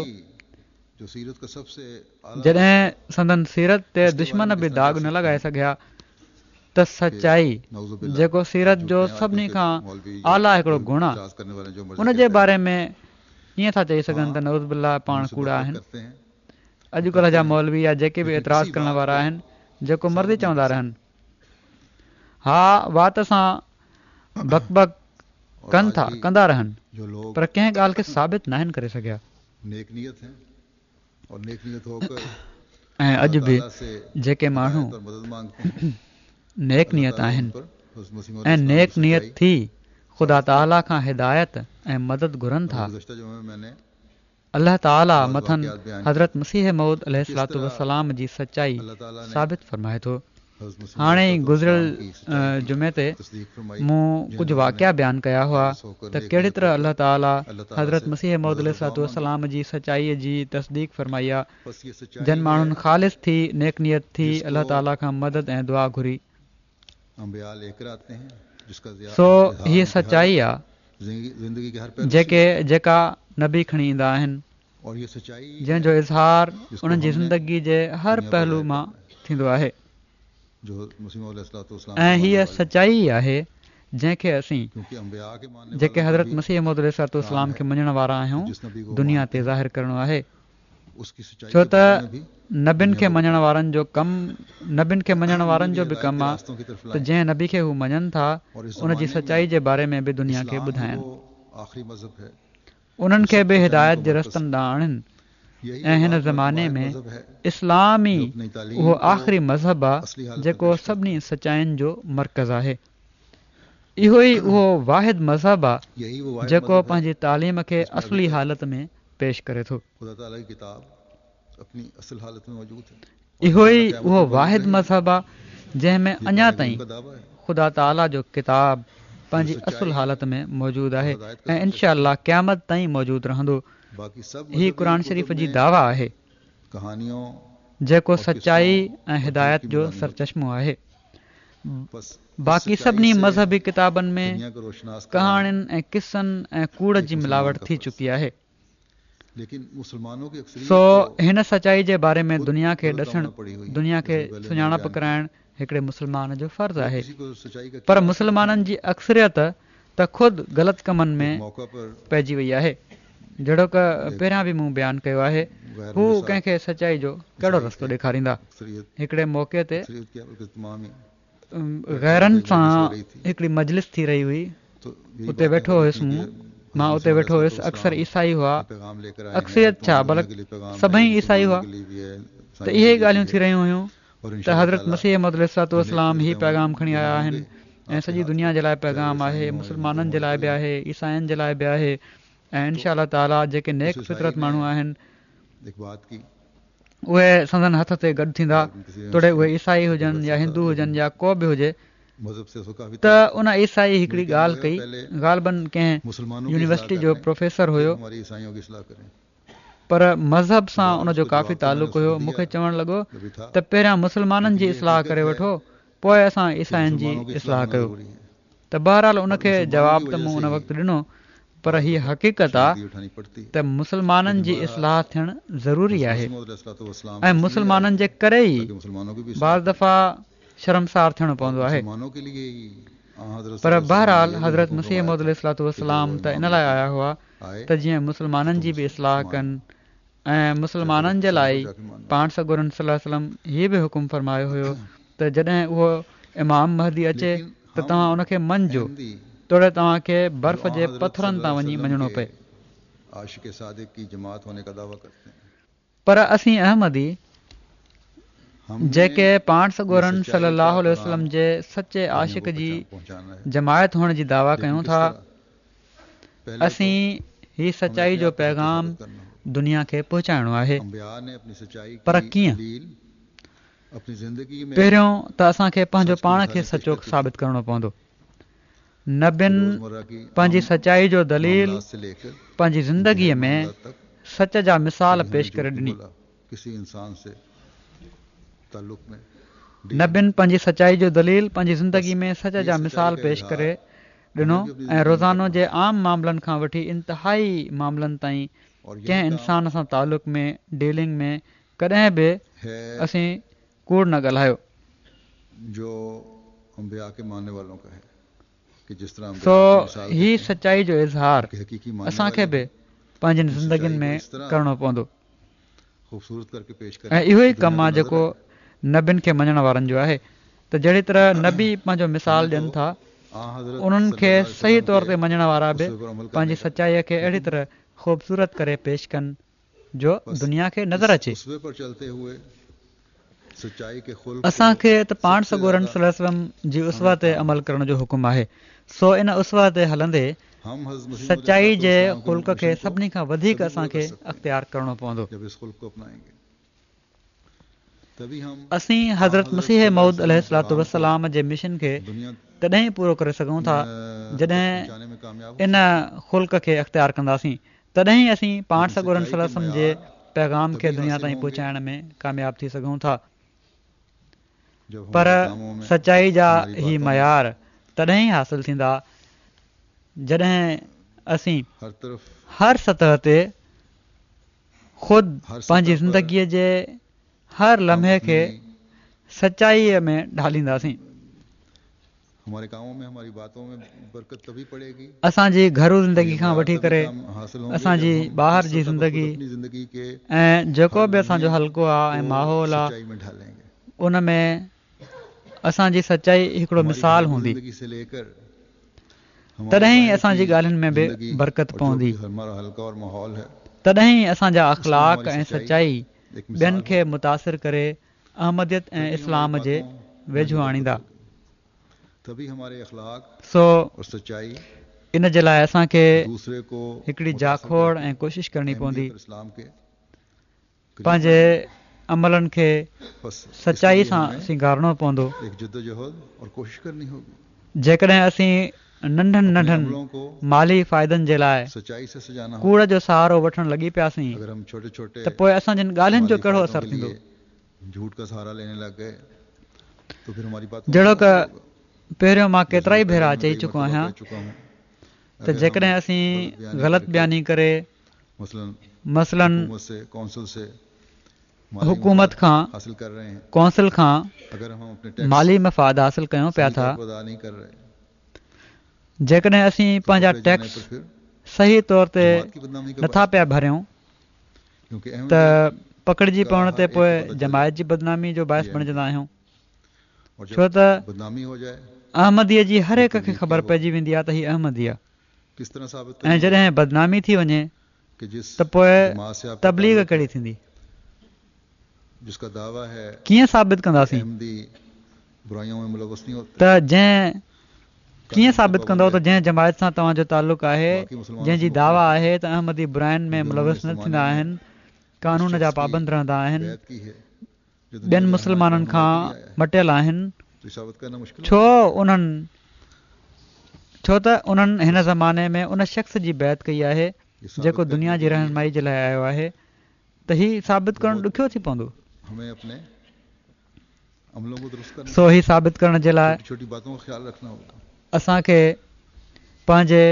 جڏهن سندن سيرت تي دشمن به داغ نه لڳائي سگهيا ته سچائي جيڪو سيرت جو سڀني کان اعليٰ هڪڙو گڻ آ ان جي باري ۾ ڪيئن ٿا چئي سگهن ته نعوذ بالله پاڻ ڪوڙا آهن. اڄڪلهه جا مولوي يا جيڪي به اعتراض ڪرڻ وارا آهن جيڪو مرضي چوندا رهن. ها وات سان بڪ بڪ ڪن ٿا ڪندا رهن پر ڪنهن ڳالهه کي ثابت ناهن ڪري سگهيا. ۽ اڄ به جيڪي ماڻهو نيڪ نيت آهن ۽ نيڪ نيت ٿي خدا تعاليٰ کان هدايت ۽ مدد گهرن ٿا، الله تعاليٰ مٿن حضرت مسيح موعود عليه الصلوة والسلام جي سچائي ثابت فرمائي ٿو. هاڻي ئي گذريل جمعي تي مون ڪجهه واقعا بيان ڪيا هئا ته ڪهڙي طرح الله تعاليٰ حضرت مسيح موعود عليه الصلوة والسلام جي سچائي جي تصديق فرمائي آ، جن ماڻهن خالص ٿي نيڪ نيت ٿي الله تعاليٰ کان مدد ۽ دعا گهري. سو هيء سچائي آ جيڪي جيڪا نبي کڻي ايندا آهن، جنهن جو اظهار انهن جي زندگي جي هر پهلو مان ٿيندو آهي ۽ هيء سچائي ئي آهي جنهن کي اسين جيڪي حضرت مسيح موعود عليه الصلوة والسلام کي مڃڻ وارا آهيون دنيا تي ظاهر ڪرڻو آهي. ڇو ته نبين کي مڃڻ وارن جو ڪم نبين کي مڃڻ وارن جو به ڪم آ ته جنهن نبي کي هو مڃن ٿا ان جي سچائي جي باري ۾ به دنيا کي ٻڌائين، انهن کي به هدايت جي رستن ڏانهن آڻين ۽ هن زماني ۾ اسلام ئي اهو آخري مذهب آ جيڪو سڀني سچائين جو مرڪز آهي. اهو ئي اهو واحد مذهب آ جيڪو پنهنجي تعليم کي اصلي حالت ۾ پيش ڪري ٿو. اهو ئي اهو واحد مذهب آ جنهن ۾ اڃا تائين خدا تعاليٰ جو ڪتاب پنهنجي اصل حالت ۾ موجود آهي ۽ انشاء الله قيامت تائين موجود رهندو. هي قرآن شريف جي دعويٰ آهي جيڪو سچائي ۽ هدايت جو سرچشمو آهي. باقي سڀني مذهبي ڪتابن ۾ ڪهاڻين ۽ قصن ۽ ڪوڙ جي ملاوٽ ٿي چڪي آهي. سو هن سچائي جي باري ۾ دنيا کي ڏسڻ، دنيا کي سڃاڻپ ڪرائڻ هڪڙي مسلمان جو فرض آهي. پر مسلمانن جي اڪثريت ته خود غلط ڪمن ۾ پئجي وئي آهي. جهڙوڪ پهريان به مون بيان ڪيو آهي، هو ڪنهن کي سچائي جو ڪهڙو رستو ڏيکاريندا؟ هڪڙي موقعي تي غيرن سان هڪڙي مجلس ٿي رهي هئي، اتي ويٺو هيس مون مان اتي ويٺو هيس. اڪثر عيسائي هئا، اڪثريت ڇا بلڪ سڀئي عيسائي هئا. ته اهي ئي ڳالهيون ٿي رهيون هيون ته حضرت مسيح موعود عليه الصلوة والسلام هي پيغام کڻي آيا آهن ۽ سڄي دنيا جي لاء پيغام آهي، مسلمانن جي لاء به آهي، عيسائين جي لاء به آهي ۽ انشاء الله تعاليٰ جيڪي نيڪ فطرت ماڻهو آهن اهي سندن هٿ تي گڏ ٿيندا، توڙي اهي عيسائي هجن يا هندو هجن يا ڪو به هجي. ته ان عيسائي هڪڙي ڳالهه ڪئي، غالباً ڪنهن يونيورسٽي جو پروفيسر هيو، پر مذهب سان ان جو ڪافي تعلق هيو. مون کي چوڻ لڳو ته پهريان مسلمانن جي اصلاح ڪري وٺو، پوءِ اسان عيسائين جي اصلاح ڪيو. ته بهرحال ان کي جواب ته مون ان وقت ڏنو، پر هيء حقيقت آ ته مسلمانن جي اصلاح ٿيڻ ضروري آهي ۽ مسلمانن جي ڪري ئي بعض دفعا شرمسار ٿيڻو پوندو آهي. پر بهرحال حضرت مسيح موعود عليه الصلوة والسلام ته ان لاءِ آيا هئا ته جيئن مسلمانن جي به اصلاح ڪن ۽ مسلمانن جي لاءِ ئي پاڻ سڳورن صلي الله عليه وسلم هي به حڪم فرمايو هيو ته جڏهن اهو امام مهدي اچي ته توهان ان کي مڃجو، توڙي توهان کي برف جي پٿرن تان وڃي مڃڻو پئي. پر اسين احمدي جيڪي پاڻ سڳورن صلي الله عليه وسلم جي سچي عاشق جي جماعت هئڻ جي دعويٰ ڪيون ٿا، اسين هي سچائي جو پيغام دنيا کي پهچائڻو آهي. پر ڪيئن؟ پهريون ته اسان کي پنهنجو پاڻ کي سچو ثابت ڪرڻو پوندو. نبين پنهنجي سچائي جو دليل پنهنجي زندگيءَ ۾ سچ جا مثال پيش ڪري ڏني. نبين پنهنجي سچائي جو دليل پنهنجي زندگي ۾ سچ جا مثال پيش ڪري ڏنو ۽ روزانو جي عام معاملن کان وٺي انتهائي معاملن تائين ڪنهن انسان سان تعلق ۾ ڊيلنگ ۾ ڪڏهن به اسين ڪوڙ نه ڳالهايو. سو هي سچائي جو اظهار اسان کي به پنهنجين زندگين ۾ ڪرڻو پوندو ۽ اهو ئي ڪم آهي جيڪو نبين کي مڃڻ وارن جو آهي ته جهڙي طرح نبي پنهنجو مثال ڏين ٿا، انهن کي صحيح طور تي مڃڻ وارا به پنهنجي سچائي کي اهڙي طرح خوبصورت ڪري پيش ڪن جو دنيا کي نظر اچي. اسان کي ته پاڻ سڳورن صلي الله عليه وسلم جي اسوه تي عمل ڪرڻ جو حڪم آهي، سو ان اسوه تي هلندي سچائي جي خلق کي سڀني کان وڌيڪ اسان کي اختيار ڪرڻو پوندو. اسين حضرت مسيح موعود عليه الصلوة والسلام جي مشن کي تڏهن ئي پورو ڪري سگهون ٿا جڏهن ان خلق کي اختيار ڪنداسين، تڏهن ئي اسين پاڻ سڳورن صلي الله عليه وسلم جي پيغام کي دنيا تائين پهچائڻ ۾ ڪامياب ٿي سگهون ٿا. پر سچائي جا هي معيار تڏهن ئي حاصل ٿيندا جڏهن اسين هر سطح تي خود پنهنجي زندگيءَ جي هر لمحي کي سچائيءَ ۾ ڍالينداسين. اسان جي گهرو زندگي کان وٺي ڪري اسان جي ٻاهر جي زندگي ۽ جيڪو به اسان جو حلقو آهي ۽ ماحول آهي، ان ۾ اسان جي سچائي هڪڙو مثال هوندي، تڏهن ئي اسان جي ڳالهين ۾ به برڪت پوندي، تڏهن ئي اسان جا اخلاق ۽ سچائي ٻين کي متاثر ڪري احمديت ۽ اسلام جي ويجهو آڻيندا. سو ان جي لاءِ اسان کي هڪڙي جاکوڙ ۽ ڪوشش ڪرڻي پوندي، پنهنجي عملن کي سچائي سان سينگارڻو پوندو. جيڪڏهن اسين ننڍن ننڍن مالي فائدن جي لاءِ ڪوڙ جو سهارو وٺڻ لڳي پياسين ته پوءِ اسان جن ڳالهين جو ڪهڙو اثر ٿيندو؟ جهڙوڪ پهريون مان ڪيترائي ڀيرا چئي چڪو آهيان ته جيڪڏهن اسين غلط بياني ڪري مثلاً حڪومت کان ڪونسل کان مالي مفاد حاصل ڪيون پيا ٿا، جيڪڏهن اسين پنهنجا ٽيڪس صحيح طور تي نٿا پيا ڀريون ته پڪڙجي پوڻ تي پوءِ جماعت جي بدنامي جو باعث بڻجندا آهيون، ڇو ته احمديءَ جي هر هڪ کي خبر پئجي ويندي آهي ته هي احمدي آهي ۽ جڏهن بدنامي ٿي وڃي ته پوءِ تبليغ ڪهڙي ٿيندي؟ ڪيئن ثابت ڪنداسين ته جنهن ڪيئن ثابت ڪندؤ ته جنهن جماعت سان توهان جو تعلق آهي، جنهن جي دعويٰ آهي ته احمدي براين ۾ ملوث نه ٿيندا آهن، قانون جا پابند رهندا آهن، ٻين مسلمانن کان مٽيل آهن، ڇو انهن ڇو ته انهن هن زماني ۾ ان شخص جي بيعت ڪئي آهي جيڪو دنيا جي رهنمائي جي لاءِ آيو آهي، ته هي ثابت ڪرڻ ڏکيو ٿي پوندو. سو هي ثابت ڪرڻ جي لاءِ اسان کي پنهنجي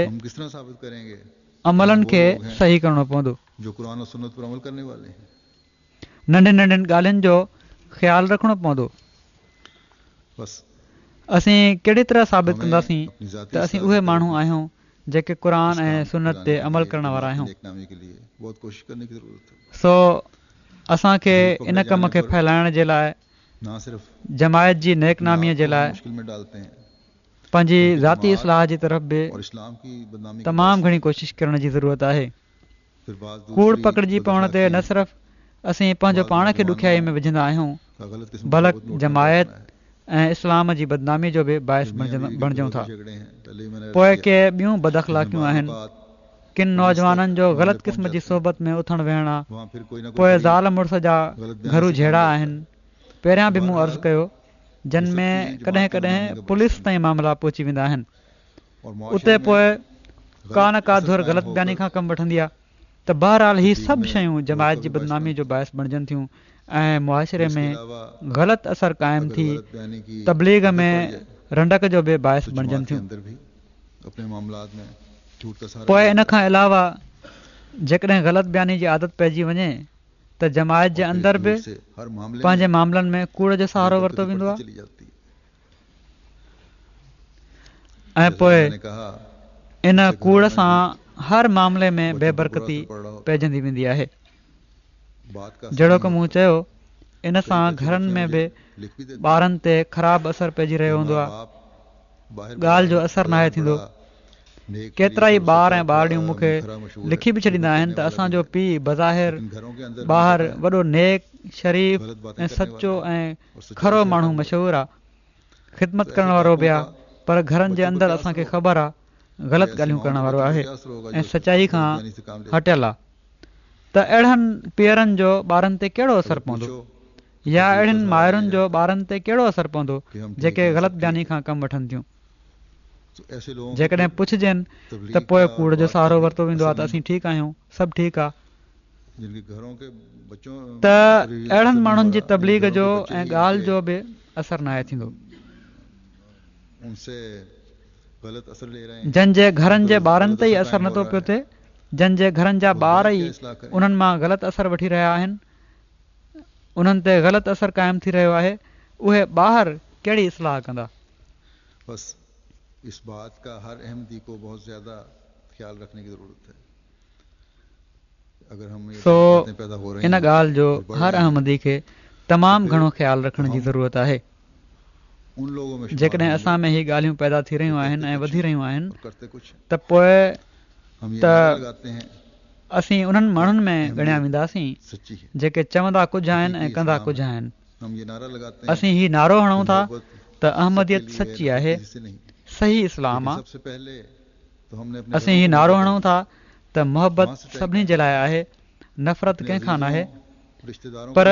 عملن کي صحيح ڪرڻو پوندو. ننڍين ننڍين ڳالهين جو خيال رکڻو پوندو. اسين ڪهڙي طرح ثابت ڪنداسين ته اسين اهي ماڻهو آهيون جيڪي قرآن ۽ سنت تي عمل ڪرڻ وارا آهيون؟ سو اسان کي ان ڪم کي ڦهلائڻ جي لاءِ، جماعت جي نيڪ ناميءَ جي لاءِ پنهنجي ذاتي اصلاح جي طرف به تمام گهڻي ڪوشش ڪرڻ جي ضرورت آهي. ڪوڙ پڪڙجي پوڻ تي نه صرف اسين پنهنجو پاڻ کي ڏکيائي ۾ وجهندا آهيون، بلڪ جماعت ۽ اسلام جي بدنامي جو به باعث بڻجون ٿا. پوءِ ڪي ٻيون بداخلاقيون آهن. ڪن نوجوانن جو غلط قسم جي صحبت ۾ اٿڻ ويهڻ آهي، پوءِ زال مڙس جا گهرو جهيڙا آهن. پهريان به مون عرض ڪيو، جن ۾ ڪڏهن ڪڏهن پوليس تائين معاملا پهچي ويندا آهن. اتي پوءِ ڪا نه ڪا ڌر غلط بياني کان ڪم وٺندي آهي. ته بهرحال هي سڀ شيون جماعت جي بدنامي جو باعث بڻجن ٿيون ۽ معاشري ۾ غلط اثر قائم ٿي تبليغ ۾ رنڊڪ جو به باعث بڻجن ٿيون. پوءِ ان کان علاوه جيڪڏهن غلط بياني جي عادت پئجي وڃي ته جماعت جي اندر به پنهنجي معاملن ۾ ڪوڙ جو سهارو ورتو ويندو آهي ۽ پوءِ ان ڪوڙ سان هر معاملي ۾ بي برڪتي پئجندي ويندي آهي. جهڙوڪ مون چيو، ان سان گهرن ۾ به ٻارن تي خراب اثر پئجي رهيو هوندو آهي، ڳالهه جو اثر ناهي ٿيندو. ڪيترا ئي ٻار ۽ ٻارڙيون مون کي لکي به ڇڏيندا آهن ته اسان جو پيءُ بظاهر ٻاهر وڏو نيڪ، شريف ۽ سچو ۽ کرو ماڻهو مشهور آهي، خدمت ڪرڻ وارو به آهي، پر گهرن جي اندر اسان کي خبر آهي غلط ڳالهيون ڪرڻ وارو آهي ۽ سچائي کان هٽيل آهي. ته اهڙن پيئرن جو ٻارن تي ڪهڙو اثر پوندو، يا اهڙين مائرن جو ٻارن تي ڪهڙو اثر پوندو جيڪي غلط بياني کان ڪم وٺن ٿيون؟ جيڪڏهن پڇجن ته پوءِ ڪوڙ جو سهارو ورتو ويندو آهي ته اسين ٺيڪ آهيون، سڀ ٺيڪ آهي. ته اهڙن ماڻهن جي تبليغ جو ۽ ڳالهه جو به اثر ناهي ٿيندو. جن جي گهرن جي ٻارن تي ئي اثر نٿو پيو ٿئي، جن جي گهرن جا ٻار ئي انهن مان غلط اثر وٺي رهيا آهن، انهن تي غلط اثر قائم ٿي رهيو آهي، اهي ٻاهر ڪهڙي اصلاح ڪندا؟ اس بات کا ہر احمدی کو بہت زیادہ خیال رکھنے کی ضرورت ہے. اگر ہم سو ان ڳالهه جو هر احمدي کي تمام گهڻو خيال رکڻ جي ضرورت آهي. جيڪڏهن اسان ۾ هي ڳالهيون پيدا ٿي رهيون آهن ۽ وڌي رهيون آهن ته پوءِ ته اسين انهن ماڻهن ۾ ڳڻيا وينداسين جيڪي چوندا ڪجهه آهن ۽ ڪندا ڪجهه آهن. اسين هي نعرو هڻون ٿا ته احمديت سچي آهي، صحيح اسلام آهي. اسين هي نعرو هڻون ٿا ته محبت سڀني جي لاءِ آهي، نفرت ڪنهن کان ناهي. پر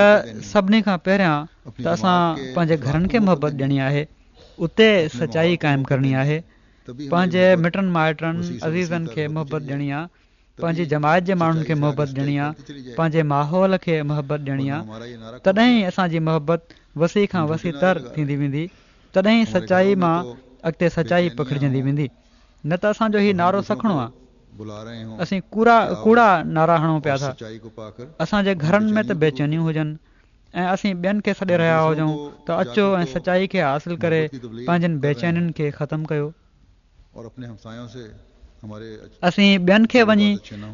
سڀني کان پهريان ته اسان پنهنجي گهرن کي محبت ڏيڻي آهي، اتي سچائي قائم ڪرڻي آهي، پنهنجي مٽن مائٽن عزيزن کي محبت ڏيڻي آهي، پنهنجي جماعت جي ماڻهن کي محبت ڏيڻي آهي، پنهنجي ماحول کي محبت ڏيڻي آهي. تڏهن ئي اسان جي محبت وسيع کان وسيع تر ٿيندي ويندي، تڏهن ئي سچائي مان اڳتي سچائي پکڙجندي ويندي. نه ته اسان جو هي نعرو سکڻو آهي، اسين ڪوڙا ڪوڙا نعرا هڻون پيا ٿا. اسان جي گهرن ۾ ته بيچينيون هجن ۽ اسين ٻين کي سڏي رهيا هجون ته اچو ۽ سچائي کي حاصل ڪري پنهنجن بيچينين کي ختم ڪيو. اسين ٻين کي وڃي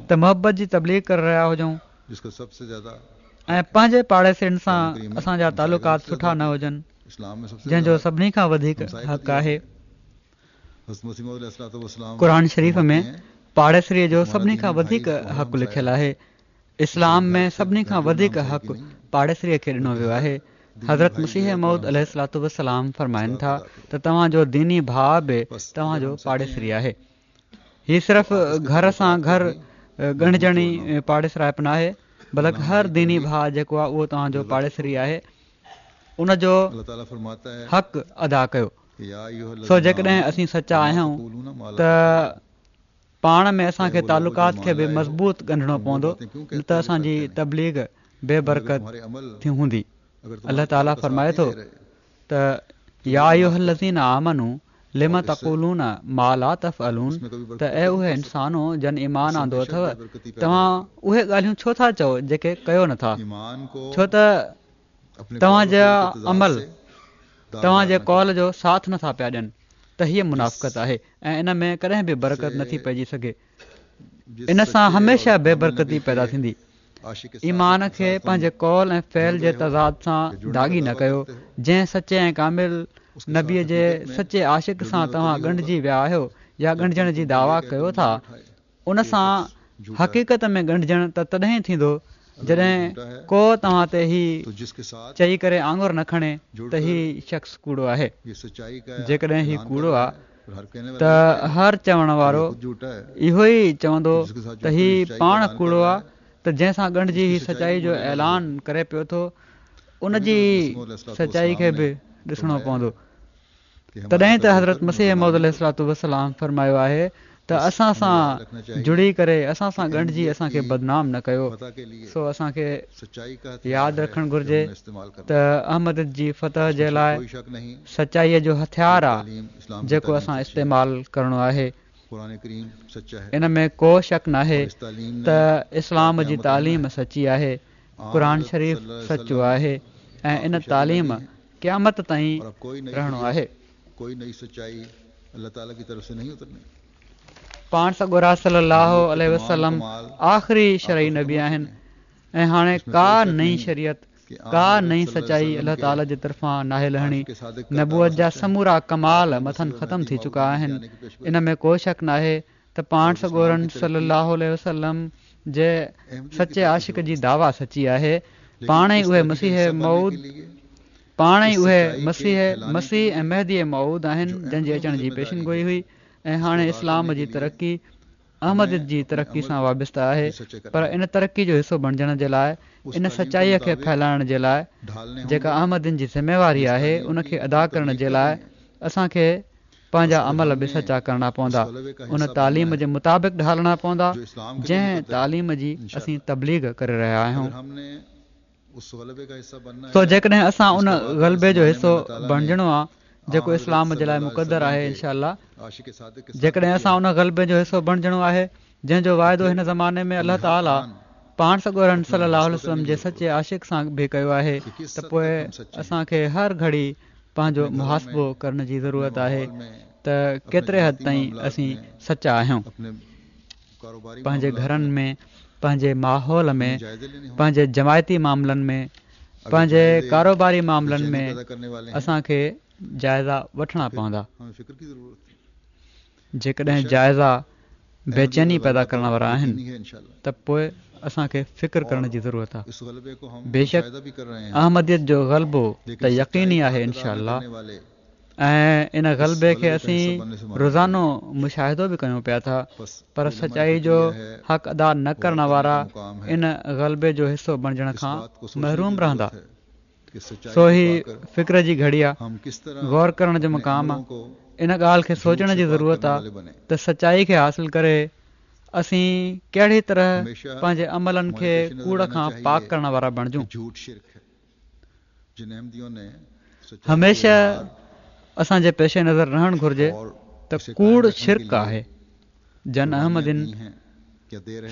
ته محبت جي تبليغ ڪري رهيا هجون ۽ پنهنجي پاڙيسرين سان اسان جا تعلقات سٺا نه هجن، جنهن جو سڀني کان وڌيڪ حق آهي. قرآن شريف ۾ پاڙيسريءَ جو سڀني کان وڌيڪ حق لکيل آهي. اسلام ۾ سڀني کان وڌيڪ حق پاڙيسريءَ کي ڏنو ويو آهي. حضرت مسيح موعود عليه الصلوة والسلام فرمائن ٿا ته توهان جو ديني ڀاءُ به توهان جو پاڙيسري آهي. هي صرف گهر سان گهر ڳنڍجڻي پاڙيسرائپ ناهي، بلڪ هر ديني ڀاءُ جيڪو آهي اهو توهان جو پاڙيسري آهي، ان جو حق ادا ڪيو. سو جيڪڏهن اسين سچا آهيون ته پاڻ ۾ اسان کي تعلقات کي به مضبوط ڳنڍڻو پوندو، نه ته اسان جي تبليغ بي برڪت ٿي هوندي. الله تعاليٰ فرمائي ٿو ته يا ايها الذين آمنوا لم تقولون ما لا تفعلون، ته اي اهي انسانو جن ايمان آندو اٿو، توهان اهي ڳالهيون ڇو ٿا چئو جيڪي ڪيو نٿا؟ ڇو ته توهان جا عمل توهان جي قول جو ساٿ نٿا پيا ڏين، ته هيءَ منافقت آهي ۽ ان ۾ ڪڏهن به برڪت نٿي پئجي سگهي. ان سان هميشه بي برڪتي پيدا ٿيندي. ايمان کي پنهنجي قول ۽ فعل جي تضاد سان داغي نه ڪيو. جنهن سچي ۽ ڪامل نبيءَ جي سچي عاشق سان توهان ڳنڍجي ويا آهيو يا ڳنڍجڻ جي دعويٰ ڪيو ٿا، ان سان حقيقت ۾ ڳنڍجڻ ته تڏهن ٿيندو جڏهن ڪو توهان تي هي چئي ڪري آڱر نه کڻي ته هي شخص ڪوڙو آهي. جيڪڏهن هي ڪوڙو آهي ته هر چوڻ وارو اهو ئي چوندو ته هي پاڻ ڪوڙو آهي، ته جنهن سان ڳنڍجي هي سچائي جو اعلان ڪري پيو ٿو ان جي سچائي کي به ڏسڻو پوندو. تڏهن ته حضرت مسيح موعود عليه الصلوة والسلام فرمايو آهي ته اسان سان جڙي ڪري اسان سان ڳنڍجي اسان کي بدنام نه ڪيو. سو اسان کي ياد رکڻ گهرجي ته احمديت جي فتح جي لاءِ سچائيءَ جو هٿيار آهي جيڪو اسان استعمال ڪرڻو آهي. ان ۾ ڪو شڪ ناهي ته اسلام جي تعليم سچي آهي، قرآن شريف سچو آهي ۽ ان تعليم قيامت تائين رهڻو آهي. پاڻ سڳورا صلي الله عليه وسلم آخري شرعي نبي آهن ۽ هاڻي ڪا نئين شريعت، ڪا نئين سچائي الله تعاليٰ جي طرفان ناهي لهڻي. نبوت جا سمورا ڪمال مٿن ختم ٿي چڪا آهن. ان ۾ ڪو شڪ ناهي ته پاڻ سڳورن صلي الله عليه وسلم جي سچي عاشق جي دعويٰ سچي آهي. پاڻ ئي اهي مسيح موعود پاڻ ئي اهي مسيح مسيح ۽ مهدي موعود آهن جن جي اچڻ جي پيشن گوئي هئي ۽ هاڻي اسلام جي ترقي احمديت جي ترقي سان وابسته آهي. پر ان ترقي جو حصو بڻجڻ جي لاءِ، ان سچائيءَ کي ڦهلائڻ جي لاءِ جيڪا احمدين جي ذميواري آهي، ان کي ادا ڪرڻ جي لاءِ اسان کي پنهنجا عمل به سچا ڪرڻا پوندا، ان تعليم جي مطابق ڍالڻا پوندا جنهن تعليم جي اسين تبليغ ڪري رهيا آهيون. سو جيڪڏهن اسان ان غلبي جو حصو بڻجڻو آهي جيڪو اسلام جي لاءِ مقدر آهي، انشاءَ الله، جيڪڏهن اسان ان غلبي جو حصو بڻجڻو آهي جنهن جو واعدو هن زماني ۾ الله تعاليٰ پاڻ سڳورن صلي الله عليه وسلم جي سچي عاشق سان به ڪيو آهي، ته پوءِ اسان کي هر گهڙي پنهنجو محاسبو ڪرڻ جي ضرورت آهي ته ڪيتري حد تائين اسين سچا آهيون. پنهنجي گهرن ۾، پنهنجي ماحول ۾، پنهنجي جماعتي معاملن ۾، پنهنجي ڪاروباري معاملن ۾ اسان کي جائزا وٺڻا پوندا. جيڪڏهن جائزا بيچيني پيدا ڪرڻ وارا آهن ته پوءِ اسان کي فڪر ڪرڻ جي ضرورت آهي. بيشڪ احمديت جو غلبو ته يقيني آهي انشاءَ الله، ۽ ان غلبي کي اسين روزانو مشاهدو به ڪيون پيا ٿا، پر سچائي جو حق ادا نه ڪرڻ وارا ان غلبي جو حصو بڻجڻ کان محروم رهندا. سو هي فڪر جي گهڙي آهي، غور ڪرڻ جو مقام آهي. ان ڳالهه کي سوچڻ جي ضرورت آهي ته سچائي کي حاصل ڪري اسين ڪهڙي طرح پنهنجي عملن کي ڪوڙ کان پاڪ ڪرڻ وارا بڻجون. هميشه اسان جي پيش نظر رهڻ گهرجي ته ڪوڙ شرڪ آهي. جن احمدين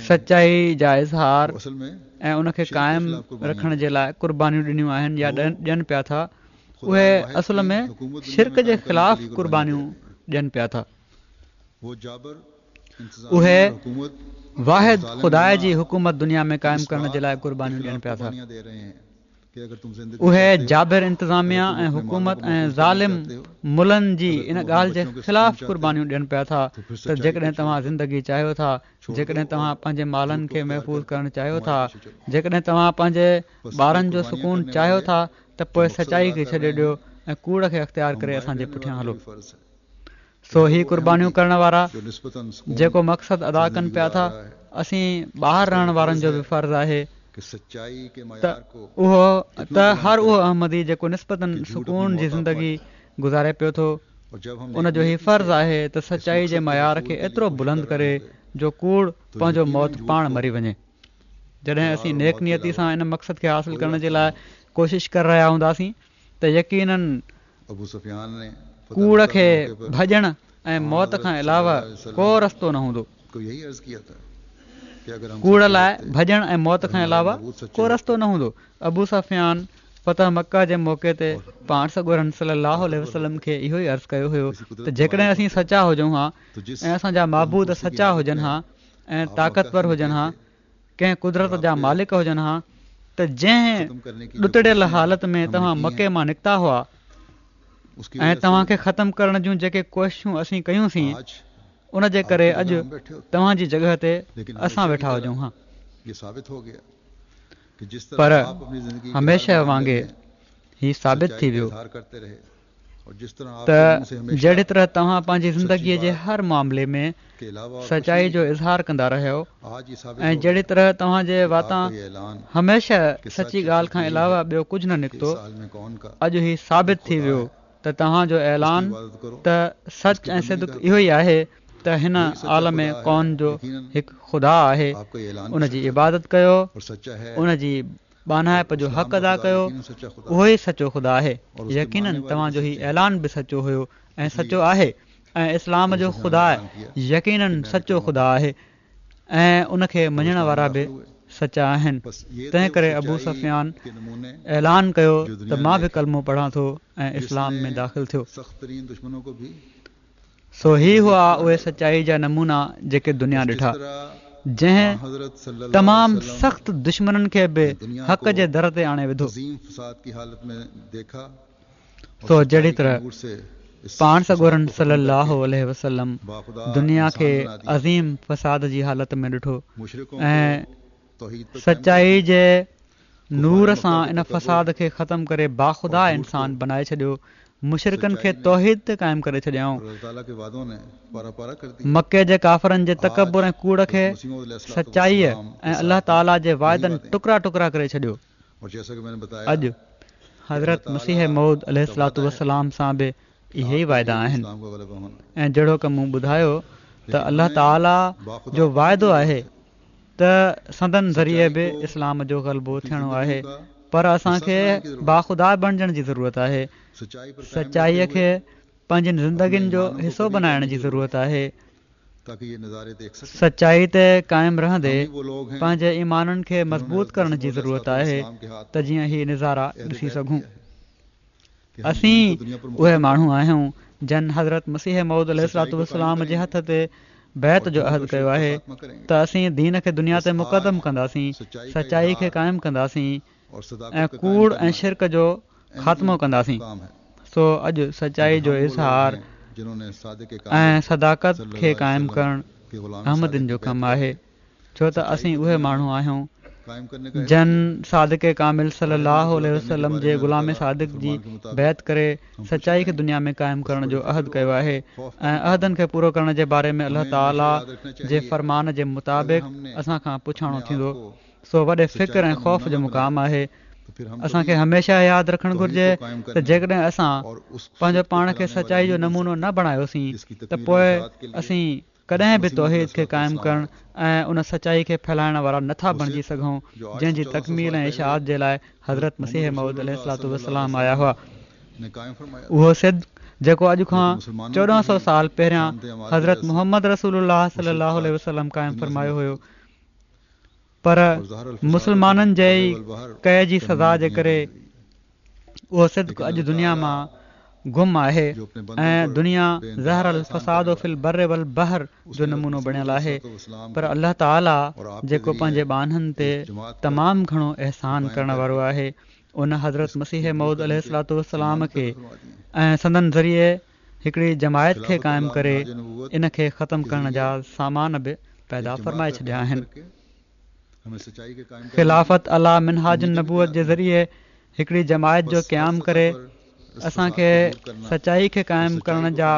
سچائي جا اظهار ۽ ان کي قائم رکڻ جي لاءِ قربانيون ڏنيون آهن يا ڏين پيا ٿا، اهي اصل ۾ شرڪ جي خلاف قربانيون ڏين پيا ٿا. اهي واحد خدا جي حڪومت دنيا ۾ قائم ڪرڻ جي لاءِ قربانيون ڏين پيا ٿا. اهي جابر انتظاميا ۽ حڪومت ۽ ظالم ملن جي ان ڳالهه جي خلاف قربانيون ڏين پيا ٿا ته جيڪڏهن توهان زندگي چاهيو ٿا، جيڪڏهن توهان پنهنجي مالن کي محفوظ ڪرڻ چاهيو ٿا، جيڪڏهن توهان پنهنجي ٻارن جو سڪون چاهيو ٿا ته پوءِ سچائي کي ڇڏي ڏيو ۽ ڪوڙ کي اختيار ڪري اسان جي پٺيان هلو. سو هي قربانيون ڪرڻ وارا جيڪو مقصد ادا ڪن پيا ٿا، اسين ٻاهر رهڻ وارن جو به فرض آهي ته اهو ته هر اهو احمدي جيڪو نسبتاً سڪون جي زندگي گذاري پيو ٿو، ان جو هي فرض آهي ته سچائي جي معيار کي ايترو بلند ڪري جو ڪوڙ پنهنجو موت پاڻ مري وڃي. جڏهن اسين نيڪ نيتي سان ان مقصد کي حاصل ڪرڻ جي لاءِ ڪوشش ڪري رهيا هونداسين ته يقيناً ڪوڙ کي ڀڄڻ ۽ موت کان علاوه ڪو رستو نه هوندو. ڪوڙ لاءِ ڀڄڻ ۽ موت کان علاوه ڪو رستو نه هوندو. ابو سفيان فتح مڪه جي موقعي تي پاڻ سڳورن صلي الله عليه وسلم کي اهو ئي عرض ڪيو هيو ته جيڪڏهن اسين سچا هجون ها ۽ اسان جا معبود سچا هجن ها ۽ طاقتور هجن ها، ڪنهن قدرت جا مالڪ هجن ها، ته جنهن ڏتڙيل حالت ۾ توهان مڪي مان نڪتا هئا ۽ توهان کي ختم ڪرڻ جون جيڪي ڪوششون اسين ڪيون سين، ان جي ڪري اڄ توهان جي جڳهه تي اسان ويٺا هجون ها. پر هميشه وانگي هي ثابت ٿي ويو ته جهڙي طرح توهان پنهنجي زندگيءَ جي هر معاملي ۾ سچائي جو اظهار ڪندا رهيو ۽ جهڙي طرح توهان جي واتان هميشه سچي ڳالهه کان علاوه ٻيو ڪجهه نه نڪتو، اڄ هي ثابت ٿي ويو ته توهان جو اعلان ته سچ ۽ صدق اهو ئي آهي ته هن عالم ڪون جو هڪ خدا آهي، ان جي عبادت ڪيو، ان جي ٻانهائپ جو حق ادا ڪيو، اهو ئي سچو خدا آهي. يقيناً توهان جو هي اعلان به سچو هيو ۽ سچو آهي، ۽ اسلام جو خدا يقيناً سچو خدا آهي ۽ ان کي مڃڻ وارا به سچا آهن. تنهن ڪري ابو سفيان اعلان ڪيو ته مان به ڪلمو پڙهان ٿو ۽ اسلام ۾ داخل ٿيو. سو هي هئا اهي سچائي جا نمونا جيڪي دنيا ڏٺا، جنهن تمام سخت دشمنن کي به حق جي در تي آڻي وڌو. سو جهڙي طرح پاڻ سڳورن صلي الله عليه وسلم دنيا کي عظيم فساد جي حالت ۾ ڏٺو ۽ سچائي جي نور سان ان فساد کي ختم ڪري باخدا انسان بنائي ڇڏيو، مشرڪن کي توحيد تي قائم ڪري ڇڏيائون، مڪي جي ڪافرن جي تڪبر ۽ ڪوڙ کي سچائيءَ ۽ الله تعاليٰ جي واعدن ٽڪرا ٽڪرا ڪري ڇڏيو. اڄ حضرت مسيح موعود عليه الصلوة والسلام سان به اهي ئي واعدا آهن ۽ جهڙوڪ مون ٻڌايو ته الله تعاليٰ جو واعدو آهي ته سندن ذريعي به اسلام جو غلبو ٿيڻو آهي، پر اسان کي باخدا بڻجڻ جي ضرورت آهي، سچائيءَ کي پنهنجين زندگين جو حصو بنائڻ جي ضرورت آهي. سچائي تي قائم رهندي پنهنجي ايمانن کي مضبوط ڪرڻ جي ضرورت آهي ته جيئن هي نظارا ڏسي سگهون. اسين اهي ماڻهو آهيون جن حضرت مسيح موعود عليه الصلوة والسلام جي هٿ تي بيعت جو عهد ڪيو آهي ته اسين دين کي دنيا تي مقدم ڪنداسين، سچائي کي قائم ڪنداسين ۽ ڪوڙ ۽ شرڪ جو خاتمو ڪنداسين. سو اڄ سچائي جو اظهار ۽ صداقت کي قائم ڪرڻ احمدين جو ڪم آهي، ڇو ته اسين اهي ماڻهو آهيون جن صادق ڪامل صلي الله عليه وسلم جي غلام صادق جي بيعت ڪري سچائي کي دنيا ۾ قائم ڪرڻ جو عهد ڪيو آهي ۽ عهدن کي پورو ڪرڻ جي باري ۾ الله تعاليٰ جي فرمان جي مطابق اسان کان پڇاڻو ٿيندو. سو وڏي فڪر ۽ خوف جو مقام آهي. اسان کي هميشه ياد رکڻ گهرجي ته جيڪڏهن اسان پنهنجو پاڻ کي سچائي جو نمونو نه بڻايوسين ته پوءِ اسين ڪڏهن به توحيد کي قائم ڪرڻ ۽ ان سچائي کي ڦهلائڻ وارا نٿا بڻجي سگهون جنهن جي تڪميل ۽ اشاعت جي لاءِ حضرت مسيح موعود عليه الصلوة والسلام آيا هئا. اهو صدق جيڪو اڄ کان چوڏهن سؤ سال پهريان حضرت محمد رسول الله صلي الله عليه وسلم قائم فرمايو هيو، پر مسلمانن جي ئي ڪئي جي سزا جي ڪري اهو صدق اڄ دنيا مان گم آهي ۽ دنيا ظهر الفساد في البر والبحر جو نمونو بڻيل آهي، پر الله تعاليٰ جيڪو پنهنجي ٻانهن تي تمام گهڻو احسان ڪرڻ وارو آهي، ان حضرت مسيح موعود عليه الصلوة والسلام کي ۽ سندن ذريعي هڪڙي جماعت کي قائم ڪري ان کي ختم ڪرڻ جا سامان به پيدا فرمائي ڇڏيا آهن. خلافت عليٰ منهاج النبوت جي ذريعي هڪڙي جماعت جو قيام ڪري اسان کي سچائي کي قائم ڪرڻ جا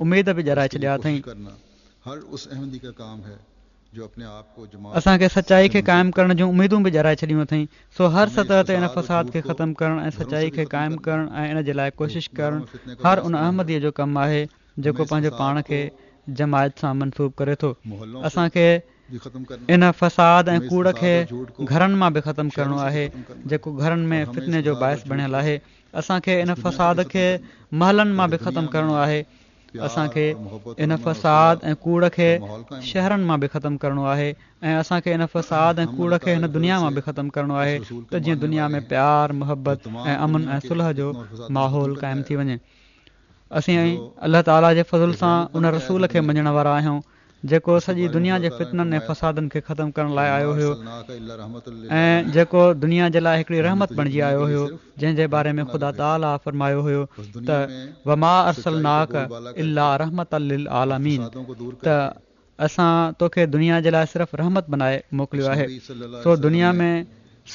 اميد به ڏيارائي ڇڏيا اٿئين. اسان کي سچائي کي قائم ڪرڻ جون اميدون به ڏيارائي ڇڏيون اٿئين. سو هر سطح تي ان فساد کي ختم ڪرڻ ۽ سچائي کي قائم ڪرڻ ۽ ان جي لاء ڪوشش ڪرڻ هر ان احمديء جو ڪم آهي جيڪو پنهنجو پاڻ کي جماعت سان منسوب ڪري ٿو. اسان کي ان فساد ۽ ڪوڙ کي گهرن مان به ختم ڪرڻو آهي جيڪو گهرن ۾ فتني جو باعث بڻيل آهي. اسان کي ان فساد کي محلن مان به ختم ڪرڻو آهي. اسان کي ان فساد ۽ ڪوڙ کي شهرن مان به ختم ڪرڻو آهي ۽ اسان کي ان فساد ۽ ڪوڙ کي هن دنيا مان به ختم ڪرڻو آهي ته جيئن دنيا ۾ پيار، محبت ۽ امن ۽ صلح جو ماحول قائم ٿي وڃي. اسين الله تعاليٰ جي فضل سان ان رسول کي مڃڻ وارا آهيون جيڪو سڄي دنيا جي فتنن ۽ فسادن کي ختم ڪرڻ لاء آيو هيو ۽ جيڪو دنيا جي لاء هڪڙي رحمت بڻجي آيو هيو، جنهن جي باري ۾ خدا تعاليٰ فرمايو هيو ته وما ارسلناڪ الا رحمة للعالمين ته اسان توکي دنيا جي لاء صرف رحمت بنائي موڪليو آهي. سو دنيا ۾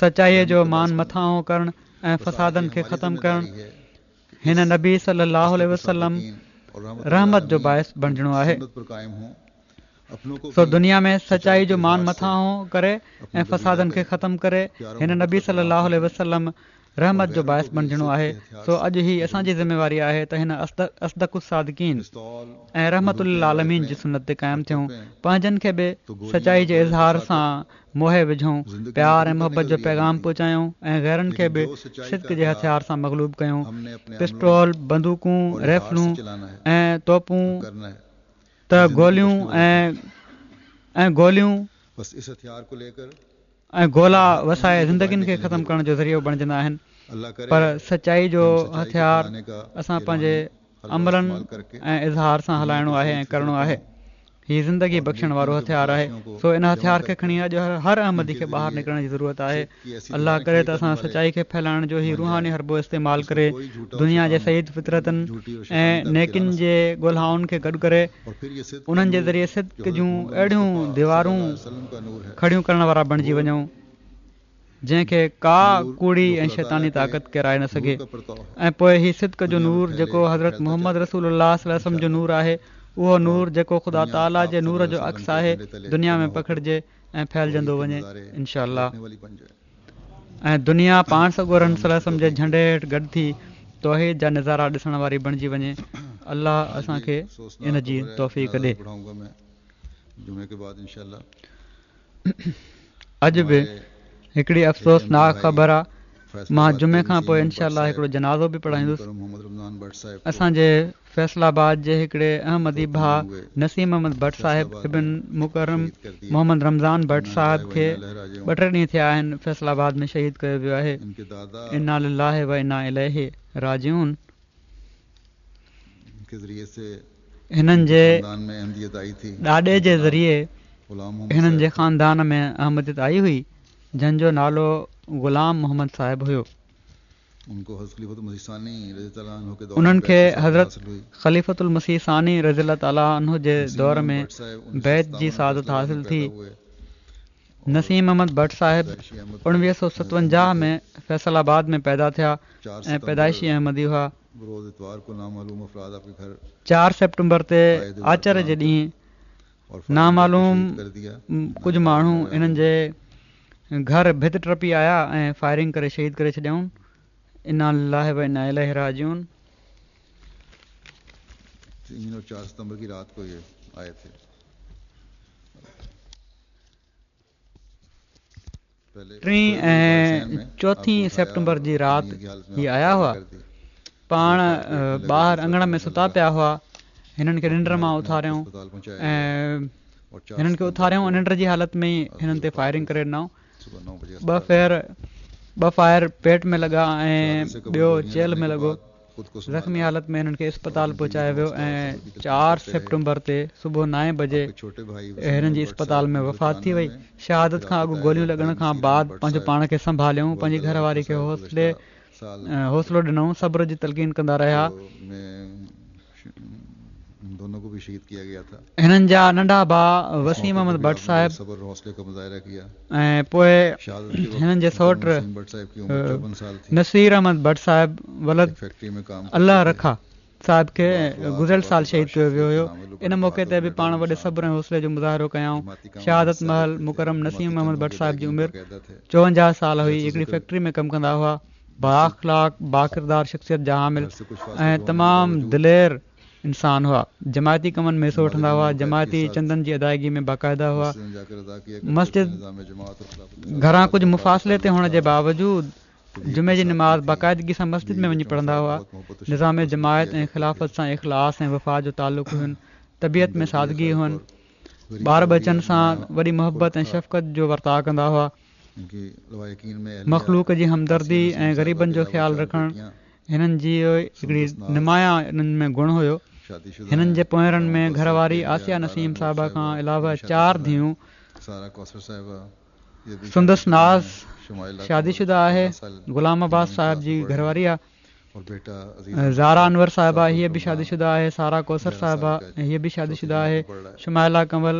سچائيء جو مان مٿانهون ڪرڻ ۽ فسادن کي ختم ڪرڻ هن نبي صلي الله عليه وسلم رحمت جو باعث بڻجڻو آهي. سو دنيا ۾ سچائي جو مان مٿانهون ڪري ۽ فسادن کي ختم ڪري هن نبي صلي الله عليه وسلم رحمت جو باعث بڻجڻو آهي. سو اڄ هي اسان جي ذميواري آهي ته هن اصدق الصادقين ۽ رحمت للعالمين جي سنت تي قائم ٿيون، پنهنجن کي به سچائي جي اظهار سان موهي وجهون، پيار ۽ محبت جو پيغام پهچايون ۽ غيرن کي به صدق جي هٿيار سان مغلوب ڪيون. پسٽول، بندوقون، رائفلون ۽ توپون ته گوليون ۽ گوليون ۽ گولا وسائي زندگين کي ختم ڪرڻ جو ذريعو بڻجندا آهن، پر سچائي جو هٿيار اسان پنهنجي عملن ۽ اظهار سان هلائڻو آهي ۽ ڪرڻو آهي. هي زندگي بخشڻ وارو هٿيار آهي، سو ان هٿيار کي کڻي اڄ هر احمدي کي ٻاهر نڪرڻ جي ضرورت آهي. الله ڪري ته اسان سچائي کي ڦهلائڻ جو هي روحاني حربو استعمال ڪري دنيا جي سعيد فطرتن ۽ نيڪين جي ڳولهائن کي گڏ ڪري انهن جي ذريعي صدق جون اهڙيون ديوارون کڙيون ڪرڻ وارا بڻجي وڃون جنهن کي ڪا ڪوڙي ۽ شيطاني طاقت ڪيرائي نه سگهي ۽ پوء هي صدق جو نور جيڪو حضرت محمد رسول الله صلي الله عليه وسلم جو نور آهي، اهو نور جيڪو خدا تعاليٰ جي نور جو عڪس آهي، دنيا ۾ پکڙجي ۽ ڦهلجندو وڃي انشاء الله. ۽ دنيا پاڻ سڳورن صلي الله عليه وسلم جي جهنڊي هيٺ گڏ ٿي توحيد جا نظارا ڏسڻ واري بڻجي وڃي. الله اسان کي ان جي توفيق ڏي. اڄ به هڪڙي افسوسناڪ خبر آ. مان جمعي کان پوء انشاء الله هڪڙو جنازو به پڙهائيندس. اسان جي فيصل آباد جي هڪڙي احمدي ڀاء نسيم احمد بٽ صاحب ابن مڪرم محمد رمضان بٽ صاحب کي ٻه ٽي ڏينهن ٿيا آهن فيصل آباد ۾ شهيد ڪيو ويو آهي. انا لله و انا اليه راجعون. هنن جي ڏاڏي جي ذريعي هنن جي خاندان ۾ احمديت آئي هئي، جنهن جو نالو غلام محمد صاحب هيو. انهن کي حضرت خليفة المسيح ثاني رضي الله تعالٰي عنه جي دور ۾ بيعت جي سعادت حاصل ٿي. نسيم احمد بٽ صاحب اڻويهه سؤ ستونجاهه ۾ فيصل آباد ۾ پيدا ٿيا ۽ پيدائشي احمدي هئا. چار سيپٽمبر تي آچر جي ڏينهن نامعلوم ڪجهه ماڻهو انهن جي گهر ڀت ٽپي آيا ۽ فائرنگ ڪري شهيد ڪري ڇڏيائون. انا لله و انا اليه راجعون. ٽين ۽ چوٿين سيپٽمبر جي رات هي آيا هئا. پاڻ ٻاهر اڱڻ ۾ ستا پيا هئا. هنن کي ننڊ مان اٿاريائون ۽ هنن کي اٿاريائون ۽ ننڊ جي حالت ۾ ئي هنن تي فائرنگ ڪري ڏنائون. ٻه فير ٻه فائر پيٽ ۾ لڳا ۽ ٻيو چيلهه ۾ لڳو. زخمي حالت ۾ هنن کي اسپتال پهچايو ويو ۽ چار سيپٽمبر تي صبح نائين بجي هنن جي اسپتال ۾ وفات ٿي وئي. شهادت کان اڳ گوليون لڳڻ کان بعد پنهنجو پاڻ کي سنڀاليائون، پنهنجي گهر واري کي حوصلي حوصلو ڏنائون، صبر جي تلقين ڪندا رهيا. هنن جا ننڍا ڀاء وسيم احمد بٽ صاحب ۽ پوء هنن جي سئوٽ نصير احمد بٽ صاحب ولد الله رکا صاحب کي گذريل سال شهيد ڪيو ويو هيو. ان موقعي تي به پاڻ وڏي صبر ۽ حوصلي جو مظاهرو ڪيائون. شهادت مهل مڪرم نسيم احمد بٽ صاحب جي عمر چوونجاهه سال هئي. هڪڙي فيڪٽري ۾ ڪم ڪندا هئا. بااخلاق، باڪردار شخصيت جا حامل ۽ تمام دلير انسان هئا. جماعتي ڪمن ۾ حصو وٺندا هئا. جماعتي چندن جي ادائگي ۾ باقاعده هئا. مسجد گهران ڪجهه مفاصلي تي هئڻ جي باوجود جمعي جي نماز باقاعدگي سان مسجد ۾ وڃي پڙهندا هئا. نظام جماعت ۽ خلافت سان اخلاص ۽ وفا جو تعلق هين. طبيعت ۾ سادگي هئن. ٻار ٻچن سان وڏي محبت ۽ شفقت جو ورتاءُ ڪندا هئا. مخلوق جي همدردي ۽ غريبن جو خيال رکڻ هنن جي هڪڙي نمايان انهن ۾ گڻ هيو. هنن جي پوئرن ۾ گهر واري آسيه نسيم صاحبه کان علاوه چار ڌيئون، سندس ناز شادي شده آهي، غلام عباس صاحب جي گهر واري آهي، زارا انور صاحبه هيء به شادي شده آهي، سارا ڪوثر صاحبه هيء به شادي شده آهي، شمائله ڪنول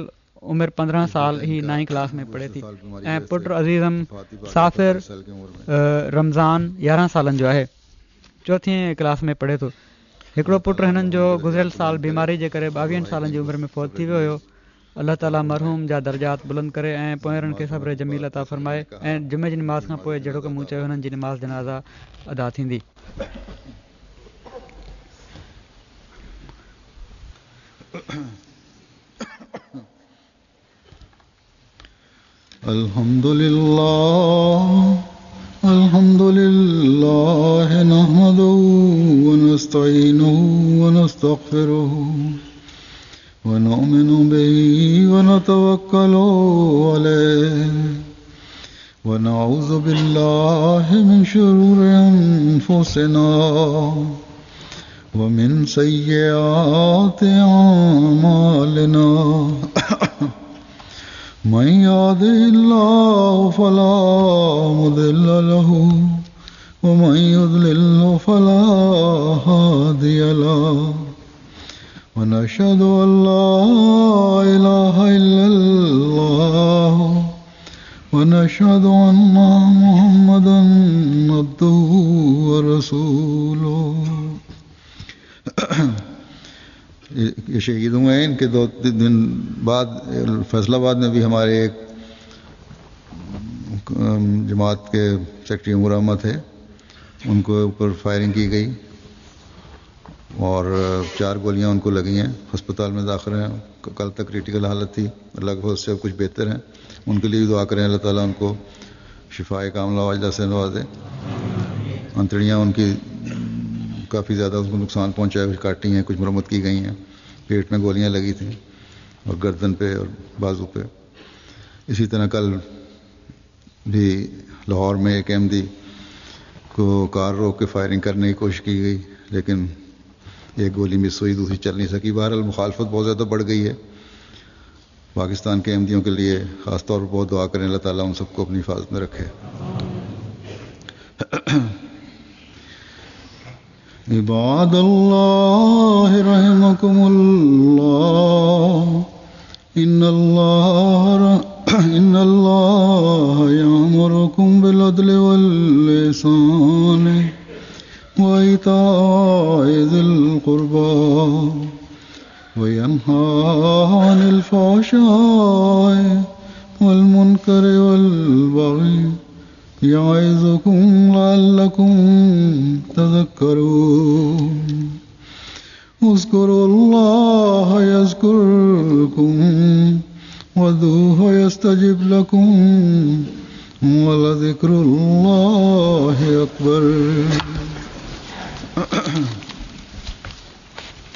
عمر پندرهن سال هي نائين ڪلاس ۾ پڙهي ٿي ۽ پٽ عزيزم سافر رمضان يارهن سالن جو آهي، چوٿين ڪلاس ۾ پڙهي ٿو. هڪڙو پٽ هنن جو گذريل سال بيماري جي ڪري ٻاويهن سالن جي عمر ۾ فوت ٿي ويو هيو. الله تعالي مرحوم جا درجات بلند ڪري ۽ پوئرن کي صبر جميل عطا فرمائي ۽ جمعي جي نماز کان پوء جهڙوڪ مون چيو هنن جي نماز جنازه ادا ٿيندي. الحمد لله الحمد لله نحمده ونستعينه ونستغفره ونؤمن به ونتوكل عليه ونعوذ بالله من شرور أنفسنا ومن سيئات أعمالنا من يهده الله فلا مضل له ومن يضلل فلا هادي له ونشهد أن لا إله إلا الله ونشهد أن محمدا عبده ورسوله. ये शहीद हुए हैं। इनके दो तीन दिन बाद फैसलाबाद में भी हमारे एक जमात के सेक्रेटरी उमर अहमद थे, उनको ऊपर फायरिंग की गई और चार गोलियां उनको लगी हैं, अस्पताल में दाखिल हैं। कल तक क्रिटिकल हालत थी, अल्लाह के फज़ल से अब कुछ बेहतर हैं। उनके लिए भी दुआ करें, अल्लाह ताला उनको शिफाए कामला वाजिला से नवाजे। अंतड़ियाँ उनकी काफ़ी ज़्यादा उनको नुकसान पहुँचा है, कुछ काटी हैं, कुछ मरम्मत की गई हैं। पेट में गोलियां लगी थी और गर्दन पे और बाजू पे। इसी तरह कल भी लाहौर में एक अहमदी को कार रोक के फायरिंग करने की कोशिश की गई, लेकिन एक गोली मिस हुई, दूसरी चल नहीं सकी। बहरहाल मुखालफत बहुत ज़्यादा बढ़ गई है। पाकिस्तान के अहमदियों के लिए ख़ास तौर पर बहुत दुआ करें, अल्लाह ताला उन सबको अपनी हिफाजत में रखे। इबाद अल्लाह रहमकुमुल्लाह, इन्नल्लाह इन्नल्लाह यामुरुकुम बिल अदलि वल इहसान व इताइ ज़िल क़ुर्बा व यन्हा अनिल फ़हशाइ वल मुनकरि वल बग़ी यअज़ुकुम लअल्लकुम तज़क्करून। उज़्कुरुल्लाह यज़्कुरकुम वदूहु यस्तजिब लकुम वलज़िक्रुल्लाहि अकबर।